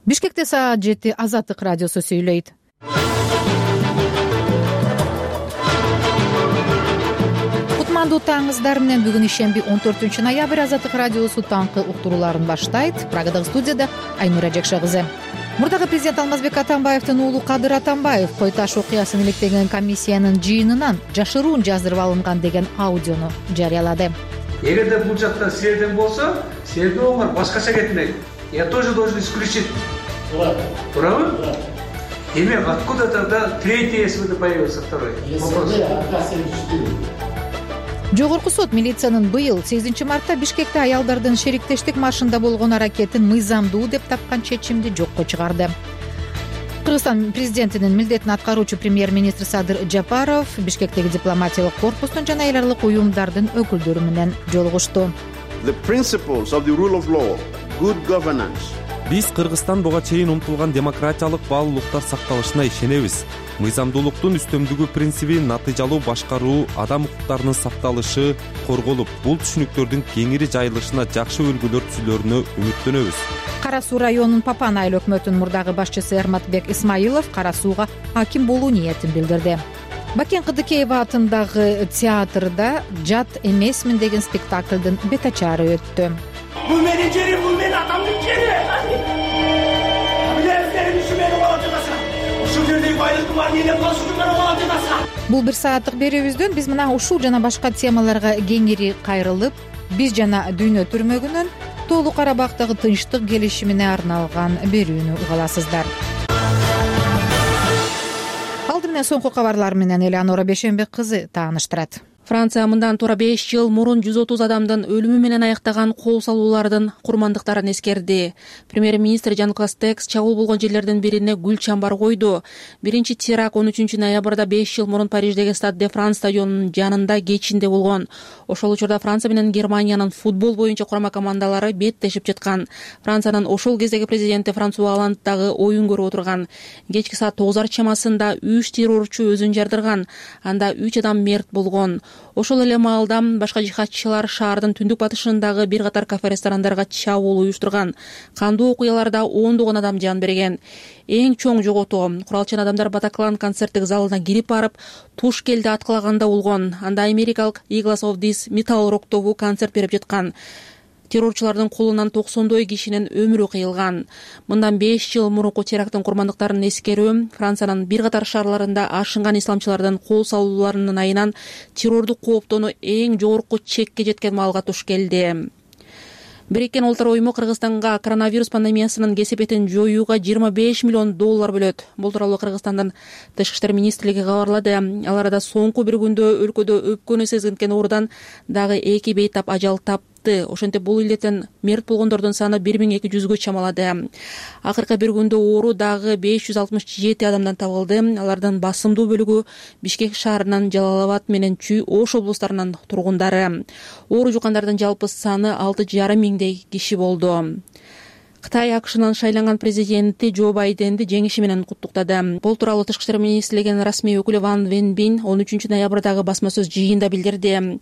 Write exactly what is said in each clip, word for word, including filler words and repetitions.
Бишкекте саат жети. Азаттык радиосу сүйлөйт. Кутмандуу таңыңыздар менен бүгүн ишемби он төртүнчү ноябрь Азаттык радиосу таңкы уктурууларын баштайт. Прагадагы студияда Айнура Жекше кызы. Мурдагы президент Алмазбек Атамбаевдин уулу Кадыр Атамбаев Кой таш окуясын иликтеген комиссиянын жыйынынан жашыруун жаздырып алынган деген аудиону жарыялады. Эгерде бул жакта силерден болсо, силерге оңор башкача кетмек. Я тоже должен исключить. Правы? Демек, откуда тогда третий СВД появился, второй? Вопрос. Жогорку сот милициянын быйыл сегизинчи мартта Бишкекте аялдардын шериктештик маршында болгон аракетин мыйзамдуу деп тапкан чечимди жокко чыгарды. Кыргызстан президентинин милдетин аткаруучу премьер-министр Садыр Жапаров Бишкектеги дипломатиялык корпустун жана эл аралык уюмдардын өкүлдөрү менен жолугушту. The principles of the rule of law, good governance. Биз Кыргызстан буга чейин умтулган демократиялык баалуулуктар сакталышына ишенебиз. Мыйзамдуулуктун үстөмдүгү принциби, натыйжалуу башкаруу, адам укуктарынын сакталышы корголуп, бул түшүнүктөрдүн кеңири жайылышына жакшы үлгүлөр түзүлөрүнө үмүттөнөбүз. Кара Суу районунун Папан айыл өкмөтүнүн мурдагы башчысы Эрматбек Исмаилов Кара Сууга аким болуу ниетин билдирди. Бакен Кыдыкеева атындагы театрда «Жат эмесмин» деген спектаклдын бетачары өттү. Бул менин жерим, бул менин атамдын жери. Билесиңер, ушу менин калачагаса. Ушул жердеги байлыктын баарын элеп калыш үчүн гана калачагаса. Бул бир сааттык берүүбүздөн биз мына ушул жана башка темаларга кеңири кайрылып, биз жана дүйнө түрмөгүнөн Тоолуу Карабактагы тынчтык келишимине арналган берүүнү уга аласыздар. Алды менен соңку кабарлар менен Элеонора Бешенбек кызы тааныштырат. Франция мындан туура беш жыл мурун жүз отуз адамдын өлүмү менен аяктаган кол салуулардын курмандыктарын эскерди. Премьер-министр Жан Кастекс чагыл болгон жерлердин бирине гүл чамбар койду. Биринчи теракт он үчүнчү ноябрда беш жыл мурун Париждеги Стад де Франс стадионунун жанында кечинде болгон. Ошол учурда Франция менен Германиянын футбол боюнча курама командалары беттешип жаткан. Франциянын ошол кездеги президенти Франсуа Оланд дагы оюн көрүп отурган. Кечки саат тогуздар чамасында үч террорчу өзүн жардырган. Анда үч адам мерт болгон. Ошол эле маалда башка жихадчылар шаардын түндүк батышындагы бир катар кафе-ресторандарга чабуул уюштурган. Кандуу окуяларда ондогон адам жан берген. Эң чоң жоготуу куралчан адамдар Батаклан концерттик залына кирип барып, Тушкелди аткылаганда болгон. Анда америкалык Eagles of This Metal Rock тобу концерт берип жаткан. Террорчулардын колунан токсондой кишинин өмүрү кыйылган. Мындан беш жыл мурунку теракттын курмандыктарын эскерүү Франциянын бир катар шаарларында ашынган исламчылардын кол салууларынын айынан террордук кооптонуу эң жогорку чекке жеткен маалга туш келди. Бириккен Улуттар уюму Кыргызстанга коронавирус пандемиясынын кесепетин жоюуга жыйырма беш миллион доллар бөлөт. Бул тууралуу Кыргызстандын Тышкы иштер министрлиги кабарлады. Ал арада соңку бир күндө өлкөдө өпкөнү сезилген оорудан дагы эки бейтап ажал тапты. Ошентип бул илеттен мерт болгондордун саны бир миң эки жүзгө чамалады. Акыркы бир күндө оору дагы беш жүз алтымыш жети адамдан табылды. Алардын басымдуу бөлүгү Бишкек шаарынан, Жалал-Абад менен Чүй Ош облустарынын тургундары. Оору жуккандардын жалпы саны алты жарым миңдей киши болду. Кытай АКШнын шайланган президенти Джо Байденди жеңиши менен куттуктады. Бул тууралуу Тышкы иштер министрлигинин расмий өкүлү Ван Венбин он үчүнчү ноябрдагы басма сөз жыйында билдирди.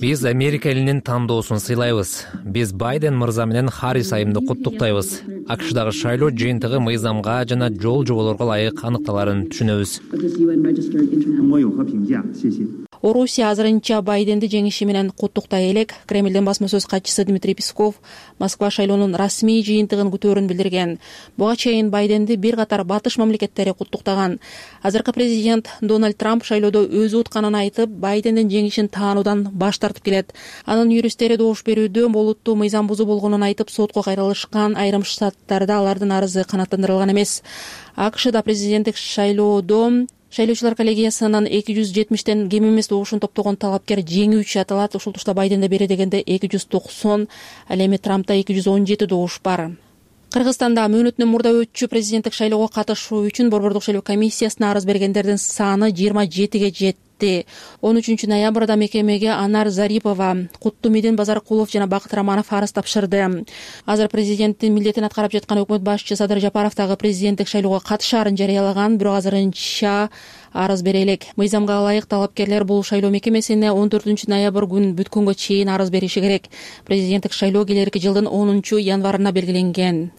Биз Америка элинин тандоосун сыйлайбыз. Биз Байден мырза менен Харрис айымды куттуктайбыз. АКШдагы шайлоо жыйынтыгы мыйзамга жана жол жоболорго ылайык аныкталарын түшүнөбүз. Орусия азырынча Байденди жеңиши менен куттуктай элек. Кремлдин басма сөз катчысы Дмитрий Песков Москва шайлоонун расмий жыйынтыгын күтөөрүн билдирген. Буга чейин Байденди бир катар батыш мамлекеттери куттуктаган. Азыркы президент Дональд Трамп шайлоодо өзү утканын айтып, Байдендин жеңишин таануудан баш тартып келет. Анын юристтери добуш берүүдө олуттуу мыйзам бузуу болгонун айтып, сотко кайрылышкан. Айрым штаттарда алардын арызы канааттандырылган эмес. АКШда президенттик шайлоодо шайлоочулар коллегиясынын эки жүз жетимиштен кем эмес добушун топтогон талапкер жеңүүчү аталат. Ушул тушта Байденде бере дегенде эки жүз токсон, ал эми Трампта эки жүз он жети добуш бар. Кыргызстанда мөөнөтүнөн мурда өтчү президенттик шайлоого катышуу үчүн Борбордук шайлоо комиссиясына арыз бергендердин саны жыйырма жетиге жетти. кетти. он үчүнчү ноябрда мекемеге Анар Зарипова, Куттумидин Базаркулов жана Бакыт Раманов арыз тапшырды. Азыр президенттин милдетин аткарып жаткан өкмөт башчысы Садыр Жапаров дагы президенттик шайлоого катышаарын жарыялаган, бирок азырынча арыз бере элек. Мыйзамга ылайык талапкерлер бул шайлоо мекемесине он төртүнчү ноябрь күн бүткөнгө чейин арыз бериши керек. Президенттик шайлоо келерки жылдын онунчу январына белгиленген.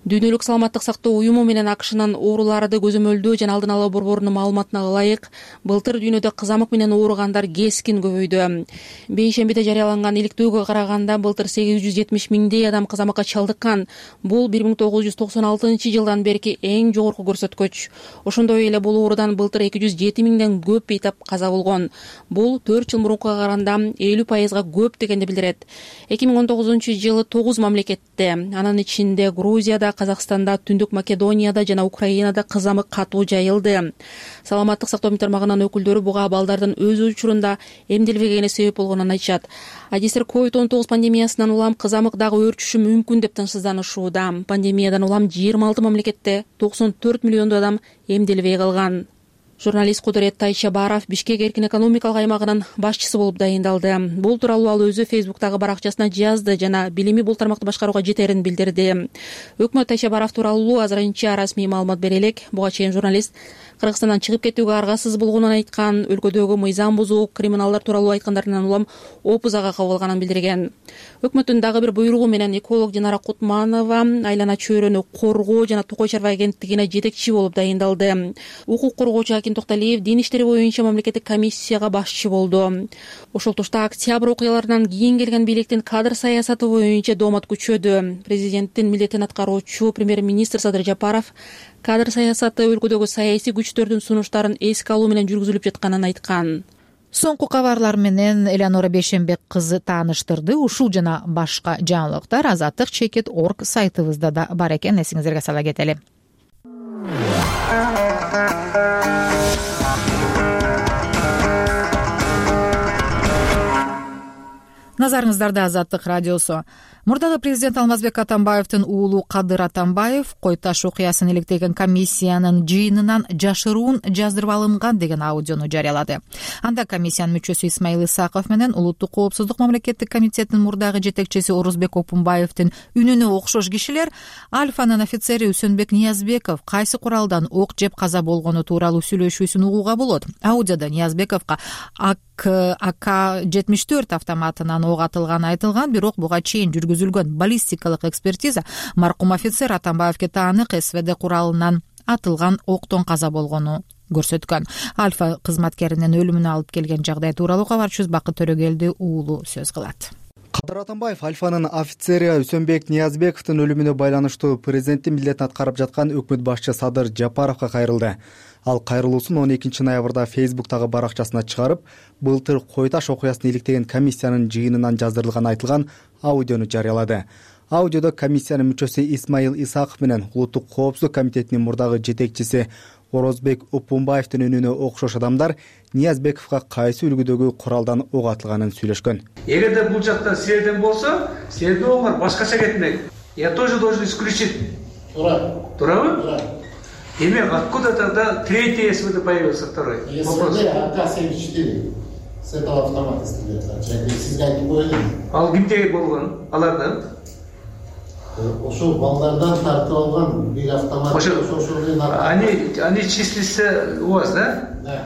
Дүйнөлүк саламаттык сактоо уюму менен АКШнын ооруларды көзөмөлдөө жана алдын алуу борборунун маалыматына ылайык, былтыр дүйнөдө кызамык менен ооругандар кескин көбөйдү. Бейшембиде жарыяланган иликтөөгө караганда былтыр сегиз жүз жетимиш миңдей адам кызамыкка чалдыккан. Бул бир миң тогуз жүз токсон алтынчы жылдан берки эң жогорку көрсөткүч. Ошондой эле бул оорудан былтыр эки жүз жети миңден көп бейтап каза болгон. Бул төрт жыл мурункуга караганда элүү пайызга көп дегенди билдирет. эки миң он тогузунчу жылы тогуз мамлекетте, анын ичинде Грузияда, Казакстанда, Түндүк Македонияда жана Украинада кызамык катуу жайылды. Саламаттык сактоо тармагынын өкүлдөрү буга балдардын өз учурунда эмделбегени себеп болгонун айтышат. Адистер ковид он тогуз пандемиясынан улам кызамык дагы өөрчүшү мүмкүн деп тынчсызданышууда. Пандемиядан улам жыйырма алты мамлекетте токсон төрт миллиондой адам эмделбей калган. Журналист Кудурет Тайшабаров Бишкек эркин экономикалык аймагынын башчысы болуп дайындалды. Бул тууралуу ал өзү Фейсбуктагы баракчасына жазды жана билими бул тармакты башкарууга жетерин билдирди. Өкмөт Тайшабаров тууралуу азырынча расмий маалымат бере элек. Буга чейин журналист Кыргызстандан чыгып кетүүгө аргасыз болгонун айткан, өлкөдөгү мыйзам бузуу, криминалдар тууралуу айткандарынан улам опузага кабылганын билдирген. Өкмөттүн дагы бир буйругу менен эколог Динара Кутманова айлана чөйрөнү коргоо жана Токой чарба агенттигине жетекчи болуп дайындалды. Укук коргоочу Акин Токталиев дин иштери боюнча мамлекеттик комиссияга башчы болду. Ошол тушта октябрь окуяларынан кийин келген бийликтин кадр саясаты боюнча доомат күчөдү. Президенттин милдетин аткаруучу премьер-министр Садыр Жапаров кадр саясаты өлкөдөгү саясий күчтөрдүн сунуштарын эске алуу менен жүргүзүлүп жатканын айткан. Соңку кабарлар менен Элеонора Бейшембек кызы тааныштырды. Ушул жана башка жаңылыктар азаттык чекит точка орг сайтыбызда да бар экен. Эсиңиздерге сала кетели. Назарыңыздарда Азаттык радиосу. Мурдагы президент Алмазбек Атамбаевдин уулу Кадыр Атамбаев Кой Таш окуясын иликтеген комиссиянын жыйынынан жашыруун жаздырып алынган деген аудиону жарыялады. Анда комиссиянын мүчөсү Исмаил Исаков менен Улуттук коопсуздук мамлекеттик комитетинин мурдагы жетекчиси Орозбек Опунбаевдин үнүнө окшош кишилер Альфанын офицери Үсөнбек Ниязбеков кайсы куралдан ок жеп каза болгону тууралуу сүйлөшүүсүн угууга болот. Аудиодо Ниязбековго А К жетимиш төрт автоматынан ок атылганы айтылган, бирок буга чейин жүргүзүлгөн баллистикалык экспертиза маркум офицер Атамбаевге таанык СВД куралынан атылган октон каза болгону көрсөткөн. Альфа кызматкеринин өлүмүнө алып келген жагдай тууралуу кабарчыбыз Бакыт Төрөгелди уулу сөз кылат. Кадыр Атамбаев Альфанын офицери Үсөнбек Ниязбековдун өлүмүнө байланыштуу президенттин милдетин аткарып жаткан өкмөт башчы Садыр Жапаровго кайрылды. Ал кайрылуусун он экинчи ноябрда Фейсбуктагы баракчасына чыгарып, былтыр Кой Таш окуясын иликтеген комиссиянын жыйынынан жаздырылганы айтылган аудиону жарыялады. Аудиодо комиссиянын мүчөсү Исмаил Исаков менен Улуттук коопсуздук комитетинин мурдагы жетекчиси Орозбек Опунбаевдин үнүнө окшош адамдар Ниязбековго кайсы үлгүдөгү куралдан ок атылганын сүйлөшкөн. Эгерде бул жакта силерден болсо, силердин оңор башкача кетмек. Я тоже должен исключить. Тура. Турабы? Тура. Демек, откуда тогда третий СВД появился, второй? СВД А К семьдесят четыре. С этого автомата стреляется. Сизге айтып коелу. Ал кимдеги болгон? Алардан? Ошол балдардан тартып алган бир автомат. Ошол они они числятся у вас, да? Да.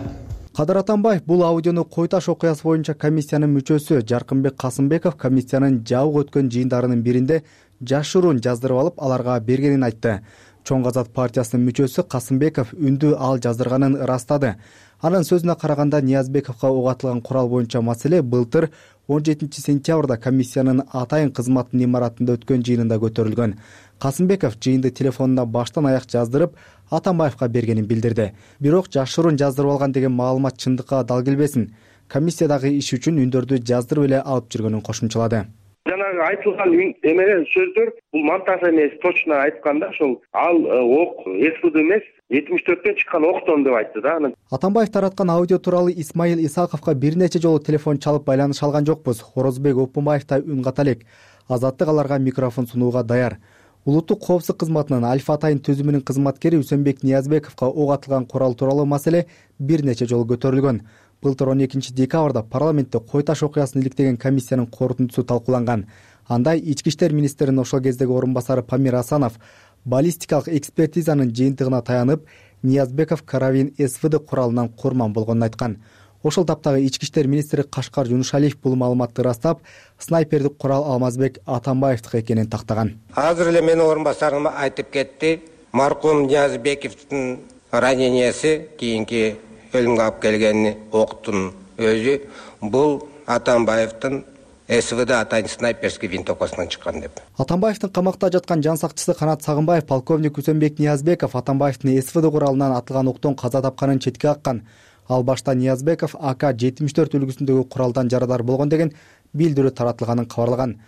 Кадыр Атамбаев бул аудиону Кой Таш окуясы боюнча комиссиянын мүчөсү Жаркынбек Касымбеков комиссиянын жабык өткөн жыйындарынын биринде жашыруун жаздырып алып аларга бергенин айтты. Чоң Азат партиясынын мүчөсү Касымбеков үндү ал жаздырганын ырастады. Анын сөзүнө караганда Ниязбековго ок атылган курал боюнча маселе былтыр он жетинчи сентябрда комиссиянын атайын кызматынын имаратында өткөн жыйынында көтөрүлгөн. Касымбеков жыйынды телефонуна баштан аяк жаздырып Атамбаевга бергенин билдирди. Бирок жашыруун жаздырып алган деген маалымат чындыкка дал келбесин. Комиссиядагы иш үчүн үндөрдү жаздырып эле алып жүргөнүн кошумчалады. Жанагы айтылган эмелер сөздөр бул монтаж эмес, точно айтканда ошол ал ок СВД эмес, жетимиш төрттөн чыккан октон деп айтты да. Атамбаев тараткан аудио тууралуу Исмаил Исаковго бир нече жолу телефон чалып байланыша алган жокпуз. Орозбек Опунбаев да үн ката элек. Азаттык аларга микрофон сунууга даяр. Улуттук коопсуздук кызматынын Альфа атайын түзүмүнүн кызматкери Үсөнбек Ниязбековго ок атылган курал тууралуу маселе бир нече жолу көтөрүлгөн. Былтыр он экинчи декабрда парламентте кой таш окуясын иликтеген комиссиянын корутундусу талкууланган. Анда ички иштер министринин ошол кездеги орун басары Памир Асанов баллистикалык экспертизанын жыйынтыгына таянып, Ниязбеков карабин СВД куралынан курман болгонун айткан. Ошол таптагы ички иштер министри Кашкар Жунушалиев бул маалыматты ырастап, снайпердик курал Алмазбек Атамбаевдики экенин тактаган. Азыр эле менин орун басарым айтып кетти. Маркум Ниязбековдун ранениясы кийинки өлүмгө алып келген октун өзү бул Атамбаевдин СВД атайын снайперский винтовкасынан чыккан деп. Атамбаевдин камакта жаткан жан сакчысы Канат Сагынбаев полковник Үсөнбек Ниязбеков Атамбаевдин СВД куралынан атылган октон каза тапканын четке каккан. Ал башта Ниязбеков А К жетимиш төрт үлгүсүндөгү куралдан жарадар болгон деген билдирүү таратылганын кабарлаган.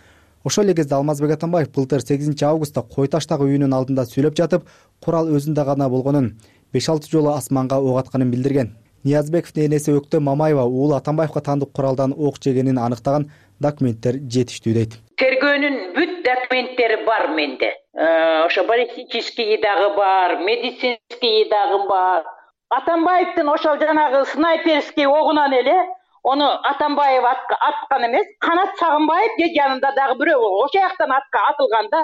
Ошол эле кезде Алмазбек Атамбаев былтыр сегизинчи августта кой таштагы үйүнүн алдында сүйлөп жатып, курал өзүндө гана болгонун, беш алты жолу асманга ок атканын билдирген. Ниязбековдун энеси Өктө Мамаева уулу Атамбаевга таандык куралдан ок жегенин аныктаган документтер жетиштүү дейт. Тергөөнүн бүт документтери бар менде. Ошо баллистический дагы бар, медицинский дагы бар. Атамбаевдин ошол жанагы снайперский огунан эле ону Атамбаев аткан эмес, Канат Сагынбаев же жанында дагы бирөө болгон. Ошол жактан атка атылганда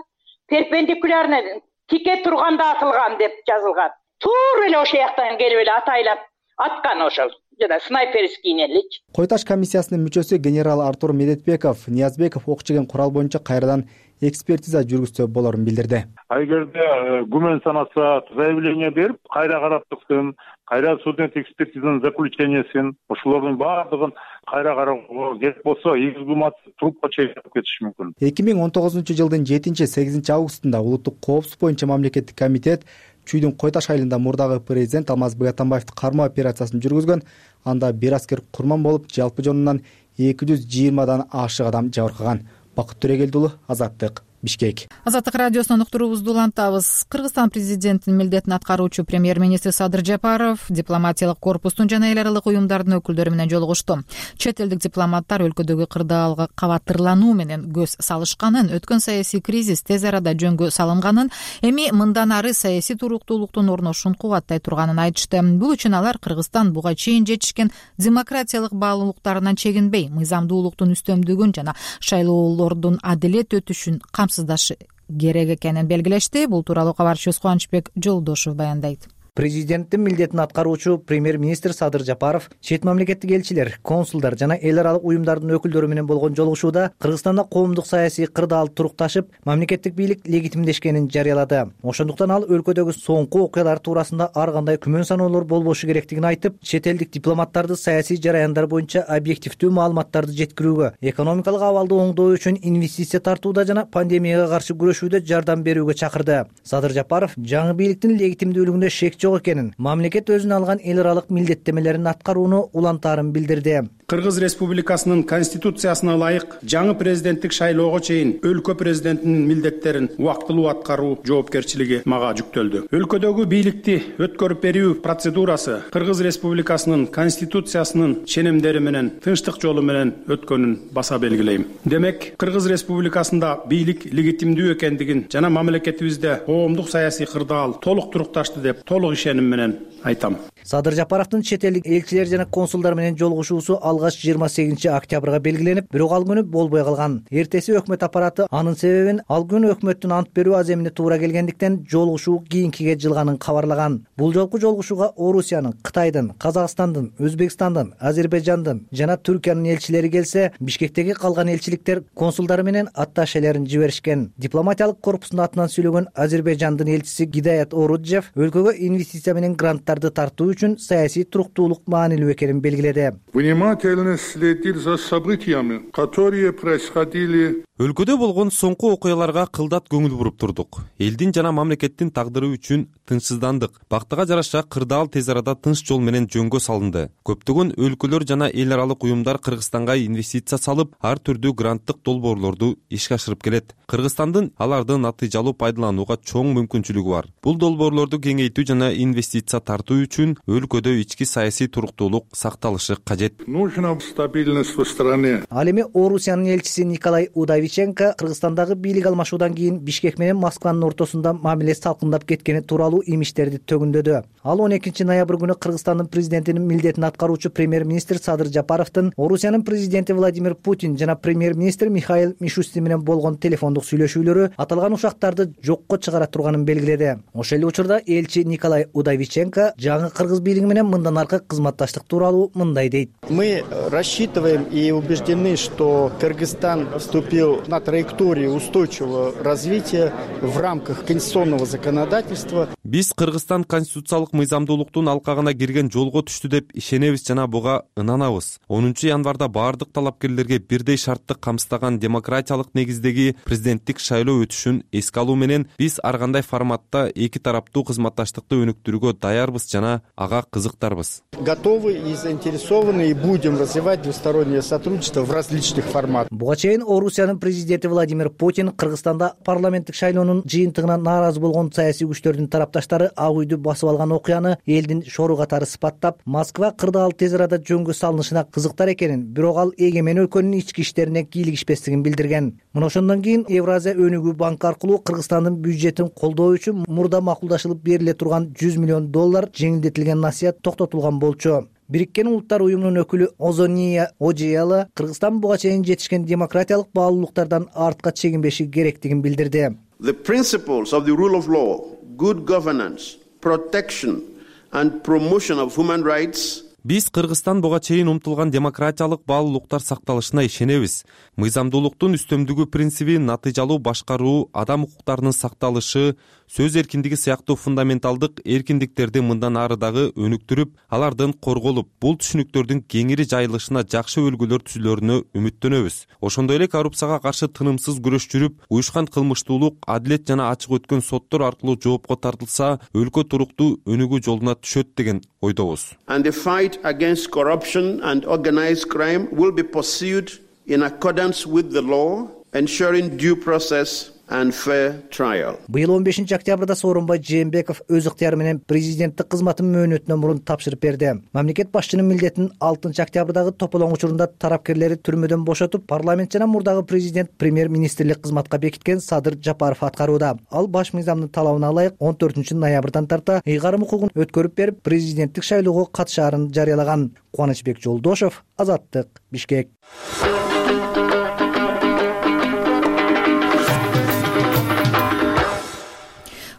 перпендикулярно тике турганда атылган деп жазылган. Туура эле ошол жактан келип эле атайлап аткан ошол жана снайперский элеч. Кой таш комиссиясынын мүчөсү генерал Артур Медетбеков Ниязбеков ок жеген курал боюнча кайрадан экспертиза жүргүзсө болорун билдирди. Эгерде күмөн санаса заявление берип, кайра караптыксын, кайра судебный экспертизанын заключениесин, ошолордун баардыгын кайра кароого керек болсо, эгиз кумат трупка чегип кетиши мүмкүн. эки миң он тогузунчу жылдын жетинчи сегизинчи августунда улуттук коопсуздук боюнча мамлекеттик комитет Чүйдүн Кой Таш айылында мурдагы президент Алмазбек Атамбаевди кармоо операциясын жүргүзгөн. Анда бир аскер курман болуп, жалпы жонунан эки жүз жыйырмадан ашык адам жабыркаган. Бакыт Төрөгелдиулу, Азаттык, Бишкек. Азаттык радиосунун уктуруубузду улантабыз. Кыргызстан президентинин милдетин аткаруучу премьер-министр Садыр Жапаров дипломатиялык корпустун жана эл аралык уюмдардын өкүлдөрү менен жолугушту. Чет элдик дипломаттар өлкөдөгү кырдаалга кабаттырлануу менен көз салышканын, өткөн саясий кризис тез арада жөнгө салынганын, эми мындан ары саясий туруктуулуктун орношун кубаттай турганын айтышты. Бул үчүн алар Кыргызстан буга чейин жетишкен демократиялык баалуулуктарынан чегинбей, мыйзамдуулуктун үстөмдүгүн жана шайлоолордун адилет өтүшүн камсыздашы керек экенин белгилешти. Бул тууралуу кабарчыбыз Кубанычбек Жолдошов баяндайт. Президенттин милдетин аткаруучу премьер-министр Садыр Жапаров чет мамлекеттик элчилер, консулдар жана эл аралык уюмдардын өкүлдөрү менен болгон жолугушууда Кыргызстанда коомдук саясий кырдаал турукташып, мамлекеттик бийлик легитимдешкенин жарыялады. Ошондуктан ал өлкөдөгү соңку окуялар туурасында ар кандай күмөн саноолор болбошу керектигин айтып, чет элдик дипломаттарды саясий жараяндар боюнча объективдүү маалыматтарды жеткирүүгө, экономикалык абалды оңдоо үчүн инвестиция тартууда жана пандемияга каршы күрөшүүдө жардам берүүгө чакырды. Садыр Жапаров жаңы бийликтин легитимдүүлүгүндө шек жок экенин, мамлекет өзүнө алган эл аралык милдеттемелерин аткарууну улантаарын билдирди. Кыргыз Республикасынын конституциясына ылайык жаңы президенттик шайлоого чейин өлкө президентинин милдеттерин убактылуу аткаруу жоопкерчилиги мага жүктөлдү. Өлкөдөгү бийликти өткөрүп берүү процедурасы Кыргыз Республикасынын конституциясынын ченемдери менен тынчтык жолу менен өткөнүн баса белгилейм. Демек, Кыргыз Республикасында бийлик легитимдүү экендигин жана мамлекетибизде коомдук саясий кырдаал толук турукташты деп толук ишеним менен айтам. Садыр Жапаровдун чет элдик элчилер жана консулдар менен жолугушуусу алгач жыйырма сегизинчи октябрга белгиленип, бирок ал күнү болбой калган. Эртеси өкмөт аппараты анын себебин ал күнү өкмөттүн ант берүү аземине туура келгендиктен жолугушуу кийинкиге жылганын кабарлаган. Бул жолку жолугушууга Орусиянын, Кытайдын, Казакстандын, Өзбекстандын, Азербайжандын жана Түркиянын элчилери келсе, Бишкектеги калган элчиликтер консулдары менен атташелерин жиберишкен. Дипломатиялык корпустун атынан сүйлөгөн Азербайжандын элчиси Гидаят Оруджев өлкөгө инвестиция менен гранттарды тартуу үчүн саясий туруктуулук маанилүү экенин белгиледи. Внимательно следил за событиями, которые происходили. Өлкөдө болгон соңку окуяларга кылдат көңүл буруп турдук. Элдин жана мамлекеттин тагдыры үчүн тынчсыздандык. Бактыга жараша кырдаал тез арада тынч жол менен жөнгө салынды. Көптөгөн өлкөлөр жана эл аралык уюмдар Кыргызстанга инвестиция салып, ар түрдүү гранттык долбоорлорду ишке ашырып келет. Кыргызстандын аларды натыйжалуу пайдаланууга чоң мүмкүнчүлүгү бар. Бул долбоорлорду кеңейтүү жана инвестиция тартуу үчүн өлкөдө ички саясий туруктуулук сакталышы кажет. Нужна стабильность в стране. Ал эми Орусиянын элчиси Николай Удовиченко Кыргызстандагы бийлик алмашуудан кийин Бишкек менен Москванын ортосунда мамиле салкындап кеткени тууралуу имиштерди төгүндөдү. Ал он экинчи ноябрь күнү Кыргызстандын президентинин милдетин аткаруучу премьер-министр Садыр Жапаровдун Орусиянын президенти Владимир Путин жана премьер-министр Михаил Мишустин менен болгон телефондук сүйлөшүүлөрү аталган ушактарды жокко чыгара турганын белгиледи. Ошол эле учурда элчи Николай Удовиченко жаңы кыргыз бийлиги менен мындан аркы кызматташтык тууралуу мындай дейт. Мы рассчитываем и убеждены, что Кыргызстан вступил на траекторию устойчивого развития в рамках конституционного законодательства. Биз Кыргызстан конституциялык мыйзамдуулуктун алкагына кирген жолго түштү деп ишенебиз жана буга ынанабыз. онунчу январда баардык талапкерлерге бирдей шартты камсыздаган демократиялык негиздеги президенттик шайлоо өтүшүн эске алуу менен биз ар кандай форматта эки тараптуу кызматташтыкты өнүктүрүүгө даярбыз жана ага кызыктарбыз. Готовы и заинтересованы и будем развивать двустороннее сотрудничество в различных форматах. Буга чейин Орусиянын президенти Владимир Путин Кыргызстанда парламенттик шайлоонун жыйынтыгына нааразы болгон саясий күчтөрдүн тарапташтары ак үйдү басып алган окуяны элдин шору катары сыпаттап, Москва кырдаал тез арада жөнгө салынышына кызыктар экенин, бирок ал эгемен өлкөнүн ички иштерине кийлигишпестигин билдирген. Мына ошондон кийин Евразия өнүгүү банкы аркылуу Кыргызстандын бюджетин колдоо үчүн мурда макулдашылып бериле турган жүз миллион доллар жеңилдетилген насыят токтотулган болчу. Бириккен Улуттар уюмунун өкүлү Озония Ожиела Кыргызстан буга чейин жетишкен демократиялык баалуулуктардан артка чегинбеши керектигин билдирди. The principles of the rule of law, good governance, protection and promotion of human rights. Биз Кыргызстан буга чейин умтулган демократиялык баалуулуктар сакталышына ишенебиз. Мыйзамдуулуктун үстөмдүгү принциби, натыйжалуу башкаруу, адам укуктарынын сакталышы, сөз эркиндиги сыяктуу фундаменталдык эркиндиктерди мындан ары дагы өнүктүрүп, алардын корголуп, бул түшүнүктөрдүн кеңири жайылышына жакшы өлгөлөр түзүлөрүнө үмүттөнөбүз. Ошондой эле коррупцияга каршы тынымсыз күрөш жүрүп, уюшкан кылмыштуулук, адилет жана ачык өткөн соттор аркылуу жоопко тартылса, өлкө туруктуу өнүгүү жолуна түшөт деген ойдобуз. And the fight against corruption and organized crime will be pursued in accordance with the law, ensuring due process and fair trial. Быйыл он бешинчи октябрда Сооронбай Жээнбеков өз ыктыяры менен президенттик кызматын мөөнөтүнөн мурун тапшырып берди. Мамлекет башчынын милдетин алтынчы октябрдагы тополоң учурунда тарапкерлери түрмөдөн бошотуп, парламент жана мурдагы президент премьер-министрлик кызматка бекиткен Садыр Жапаров аткарууда. Ал баш мыйзамдын талабына ылайык он төртүнчү ноябрдан тарта ыйгарым укугун өткөрүп берип, президенттик шайлоого катышаарын жарыялаган. Кубанычбек Жолдошов, Азаттык, Бишкек.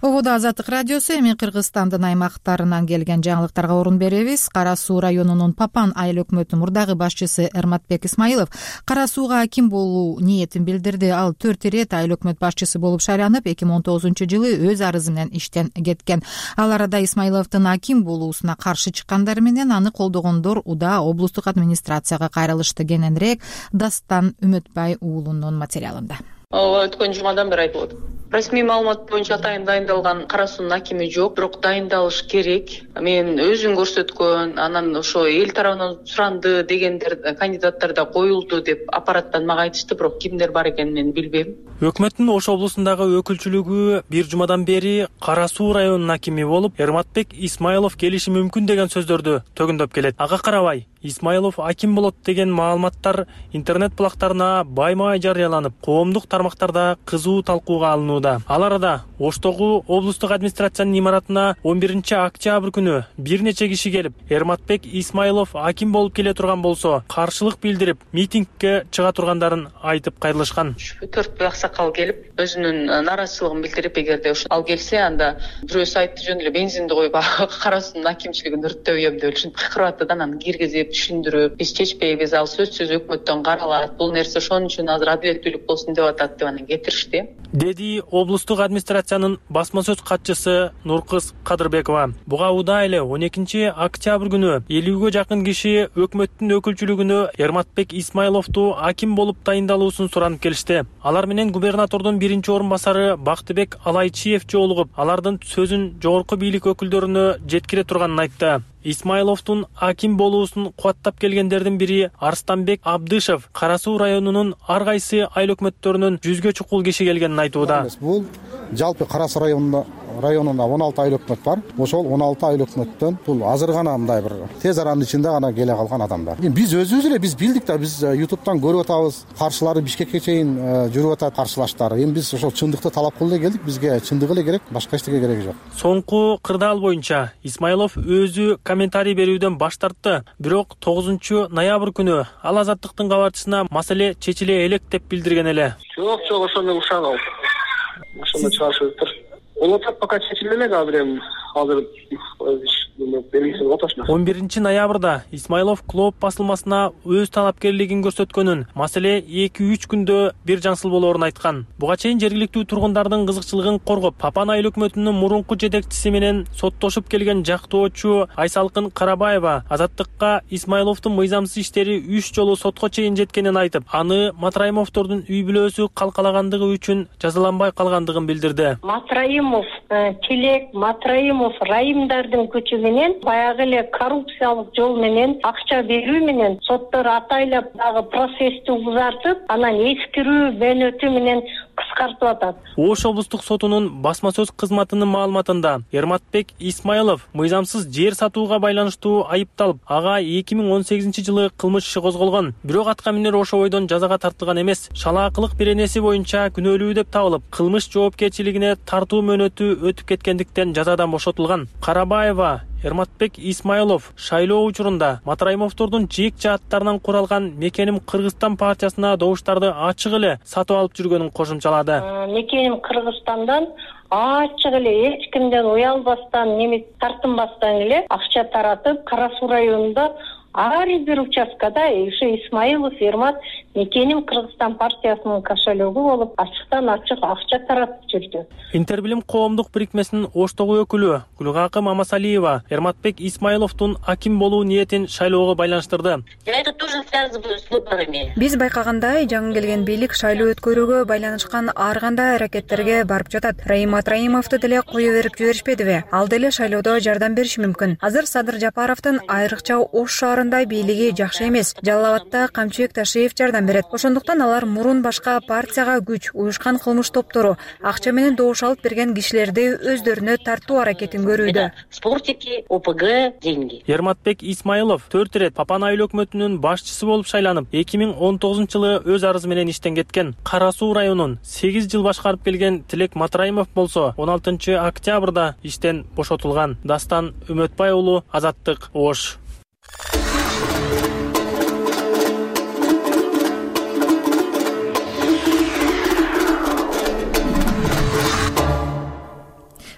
Ободо Азаттык радиосу. Эми Кыргызстандын аймактарынан келген жаңылыктарга орун беребиз. Кара Суу районунун Папан айыл өкмөтүнүн мурдагы башчысы Эрматбек Исмаилов Кара Сууга аким болуу ниетин билдирди. Ал төрт ирет айыл өкмөт башчысы болуп шайланып, эки миң он тогузунчу жылы өз арызы менен иштен кеткен. Ал арада Исмаиловдун аким болуусуна каршы чыккандар менен аны колдогондор Уда облустук администрацияга кайрылышты. Кененирээк Дастан Үмөтбай уулунун материалында. Өткөн жумадан бери айтып атат. Расмий маалымат боюнча атайын дайындалган Кара Суунун акими жок, бирок дайындалыш керек. Мен өзүн көрсөткөн, анан ошо эл тарабынан суранды дегендер кандидаттар да коюлду деп аппараттан мага айтышты, бирок кимдер бар экенин мен билбейм. Өкмөттүн Ош облусундагы өкүлчүлүгү бир жумадан бери Кара Суу районунун акими болуп, Эрматбек Исмаилов келиши мүмкүн деген сөздөрдү төгүндөп келет. Ага карабай, Исмаилов аким болот деген маалыматтар интернет булактарына баймай жарыяланып, коомдук тармактарда кызуу талкууга алынууда. Ал арада Оштогу облустук администрациянын имаратына он биринчи октябрь күнү бир нече киши келип, Эрматбек Исмаилов аким болуп келе турган болсо, каршылык билдирип, митингге чыга тургандаарын айтып кайрылышкан. төрт аксакал келип, өзүнүн нааразычылыгын билдирип, эгерде ал келсе, анда бирөөсү айтты жөн эле бензинди коюп Кара Суунун акимчилигин өрттөбөйм деп ушинтип кыйкырып атты да, анан киргизип түшүндүрүп, биз чечпейбиз, ал сөзсүз өкмөттөн каралат, бул нерсе ошон үчүн азыр адилеттүүлүк болсун деп атат деп анан кетиришти. Деди облустук администрациянын басма сөз катчысы Нуркыз Кадырбекова. Буга Уда эле он экинчи октябрь күнү элүүгө жакын киши өкмөттүн өкүлчүлүгүнө Эрматбек Исмаиловду аким болуп дайындалуусун суранып келишти. Алар менен губернатордун биринчи орун басары Бактыбек Алайчиев жолугуп, алардын сөзүн жогорку бийлик өкүлдөрүнө жеткире турганын айтты. Исмаиловдун аким болуусун кубаттап келгендердин бири Арстанбек Абдышев Кара Суу районунун ар кайсы айыл өкмөттөрүнөн жүзгө чукул киши келгенин айтууда. Бул жалпы Кара Суу районунда районунда он алты айыл өкмөт бар. Ошол он алты айыл өкмөттөн бул азыр гана мындай бир тез аранын ичинде гана келе калган адамдар. Эми биз өзүбүз эле биз билдик да, биз ютубтан көрүп атабыз. Каршылары Бишкекке чейин жүрүп атат каршылаштары. Эми биз ошол чындыкты талап кылып эле келдик. Бизге чындык эле керек, башка эчтеке кереги жок. Соңку кырдаал боюнча Исмаилов өзү комментарий берүүдөн баш тартты. Бирок тогузунчу ноябрь күнү ал Азаттыктын кабарчысына маселе чечиле элек деп билдирген эле. Жок, жок, ошону мен ушанам. Ошону чыгарышыптыр. Ол отап пока чечиле элек, азыр эми азыр он биринчи ноябрда Исмаилов Клоп басылмасына өз талапкерлигин көрсөткөнүн, маселе эки үч күндө бир жаңсыл болоорун айткан. Буга чейин жергиликтүү тургундардын кызыкчылыгын коргоп, Папан айыл өкмөтүнүн мурунку жетекчиси менен соттошуп келген жактоочу Айсалкын Карабаева Азаттыкка Исмаиловдун мыйзамсыз иштери үч жолу сотко чейин жеткенин айтып, аны Матраимовдордун үй бүлөсү калкалагандыгы үчүн жазаланбай калгандыгын билдирди. Матраимов, Челек, Матраимов райымдардын күчү менен баягы эле коррупциялык жол менен акча берүү менен соттор атайлап дагы процессти узартып, анан эскирүү бөнөтү менен кыскартып атат. Ош облустук сотунун басма сөз кызматынын маалыматында Эрматбек Исмаилов мыйзамсыз жер сатууга байланыштуу айыпталып, ага эки миң он сегизинчи жылы кылмыш иши козголгон. Бирок атка минер ошо бойдон жазага тартылган эмес. Шалаакылык беренеси боюнча күнөөлүү деп табылып, кылмыш жоопкерчилигине тартуу мөөнөтү өтүп кеткендиктен жазадан бошотулган. Карабаева Эрматбек Исмаилов шайлоо учурунда Матраимовдордун жеек жааттарынан куралган Мекеним Кыргызстан партиясына добуштарды ачык эле сатып алып жүргөнүн кошумчалады. Мекеним Кыргызстандан ачык эле эч кимден уялбастан, неме тартынбастан эле акча таратып, Кара Суу районунда ар бир участкада ушу Исмаилов Эрмат Мекеним Кыргызстан партиясынын кошелегу болуп, ачыктан ачык акча таратып жүрдү. Интербилим коомдук бирикмесинин Оштогу өкүлү Гүлгакы Мамасалиева Эрматбек Исмаиловдун аким болуу ниетин шайлоого байланыштырды. Это тоже связано с выборами. Биз байкагандай, жаңы келген бийлик шайлоо өткөрүүгө байланышкан ар кандай аракеттерге барып жатат. Раим Матраимовду деле кое берип жиберишпедиби? Ал деле шайлоодо жардам бериши мүмкүн. Азыр Садыр Жапаровдун айрыкча Ош шаарында бийлиги жакшы эмес. Жалал Абадта Камчыбек Ташиев жардам берет. Ошондуктан алар мурун башка партияга күч, уюшкан кылмыш топтору, акча менен добуш алып берген кишилерди өздөрүнө тартуу аракетин көрүүдө. Спортики, ОПГ, деньги. Эрматбек Исмаилов төрт ирет Папан айыл өкмөтүнүн башчысы болуп шайланып, эки миң он тогузунчу жылы өз арызы менен иштен кеткен. Кара Суу районун сегиз жыл башкарып келген Тилек Матраимов болсо он алтынчы октябрда иштен бошотулган. Дастан Үмөтбай уулу, Азаттык, Ош.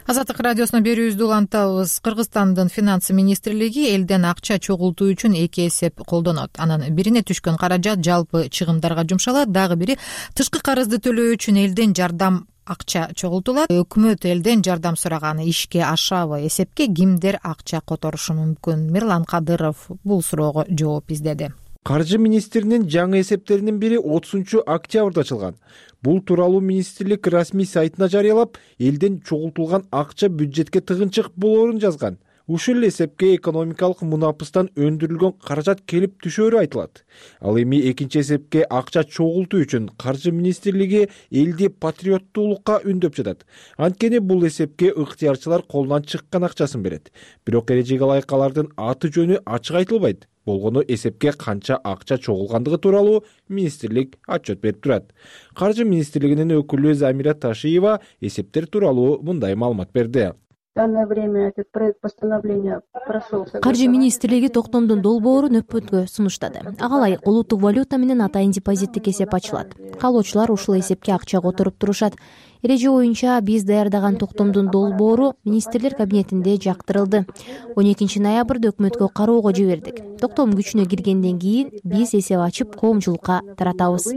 Азаттык радиосуна берүүбүздү улантабыз. Кыргызстандын финансы министрлиги элден акча чогултуу үчүн эки эсеп колдонот. Анын бирине түшкөн каражат жалпы чыгымдарга жумшалат, дагы бири тышкы карызды төлөө үчүн элден жардам акча чогултулат. Өкмөт элден жардам сураганы ишке ашабы? Эсепке кимдер акча которушу мүмкүн? Мирлан Кадыров бул суроого жооп издеди. Каржы министринин жаңы эсептеринин бири отузунчу октябрда ачылган. Бул тууралуу министрлик расмий сайтына жарыялап, элден чогултулган акча бюджетке тыгынчык болоорун жазган. Ушул эсепке экономикалык мунапыстан өндүрүлгөн каражат келип түшөөрү айтылат. Ал эми экинчи эсепке акча чогултуу үчүн Каржы министрлиги элди патриоттуулукка үндөп жатат. Анткени бул эсепке ыктыярчылар колунан чыккан акчасын берет. Бирок эрежеге ылайык алардын аты жөнү ачык айтылбайт. Болгону эсепке канча акча чогулгандыгы тууралуу министрлик отчет берип турат. Каржы министрлигинин өкүлү Замира Ташиева эсептер тууралуу мындай маалымат берди. В данное время этот проект постановления прошел. Каржы министрлиги токтомдун долбоорун өкмөткө сунуштады. Ага ылайык улуттук валюта менен атайын депозиттик эсеп ачылат. Каалоочулар ушул эсепке акча которуп турушат. Эреже боюнча биз даярдаган токтомдун долбоору министрлер кабинетинде жактырылды. он экинчи ноябрда өкмөткө кароого жибердик. Токтом күчүнө киргенден кийин биз эсеп ачып коомчулукка таратабыз.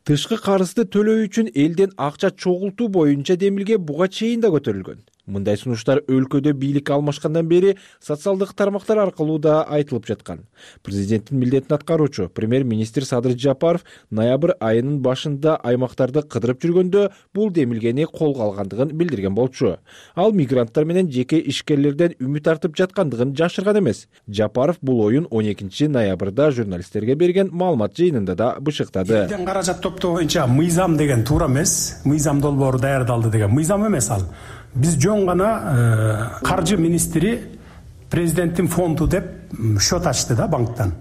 Тышкы карызды төлөө үчүн элден акча чогултуу боюнча демилге буга чейин да көтөрүлгөн. Мындай сунуштар өлкөдө бийлик алмашкандан бери социалдык тармактар аркылуу да айтылып жаткан. Президенттин милдетин аткаруучу премьер-министр Садыр Жапаров ноябрь айынын башында аймактарды кыдырып жүргөндө бул демилгени колго алгандыгын билдирген болчу. Ал мигранттар менен жеке ишкерлерден үмүт артып жаткандыгын жашырган эмес. Жапаров бул оюн он экинчи ноябрда журналисттерге берген маалымат жыйынында да бышыктады. Элден каражат топтоо боюнча мыйзам деген туура эмес. Мыйзам долбоору даярдалды деген мыйзам эмес ал. биз жөн гана каржы министри президенттин фонду деп счет ачты да банктан.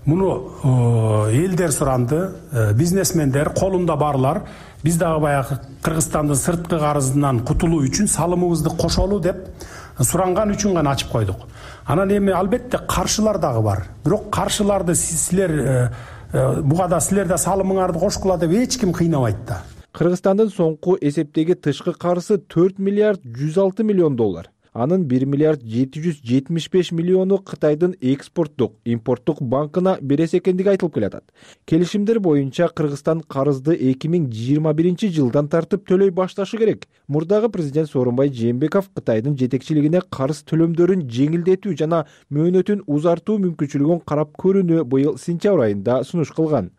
Муну элдер суранды, бизнесмендер, колунда барлар биз дагы баягы Кыргызстандын сырткы карызынан кутулуу үчүн салымыбызды кошолу деп суранган үчүн гана ачып койдук. Анан эми албетте каршылар дагы бар. Бирок каршыларды силер буга да силер да салымыңарды кошкула деп эч ким кыйнабайт да. Кыргызстандын соңку эсептеги тышкы карызы төрт миллиард жүз алты миллион доллар. Анын бир миллиард жети жүз жетимиш беш миллиону Кытайдын экспорттук, импорттук банкына берес экендиги айтылып келатат. Келишимдер боюнча Кыргызстан карызды эки миң жыйырма биринчи жылдан тартып төлөй башташы керек. Мурдагы президент Сооронбай Жээнбеков Кытайдын жетекчилигине карыз төлөмдөрүн жеңилдетүү жана мөөнөтүн узартуу мүмкүнчүлүгүн карап көрүүнү быйыл сентябрь айында сунуш кылган.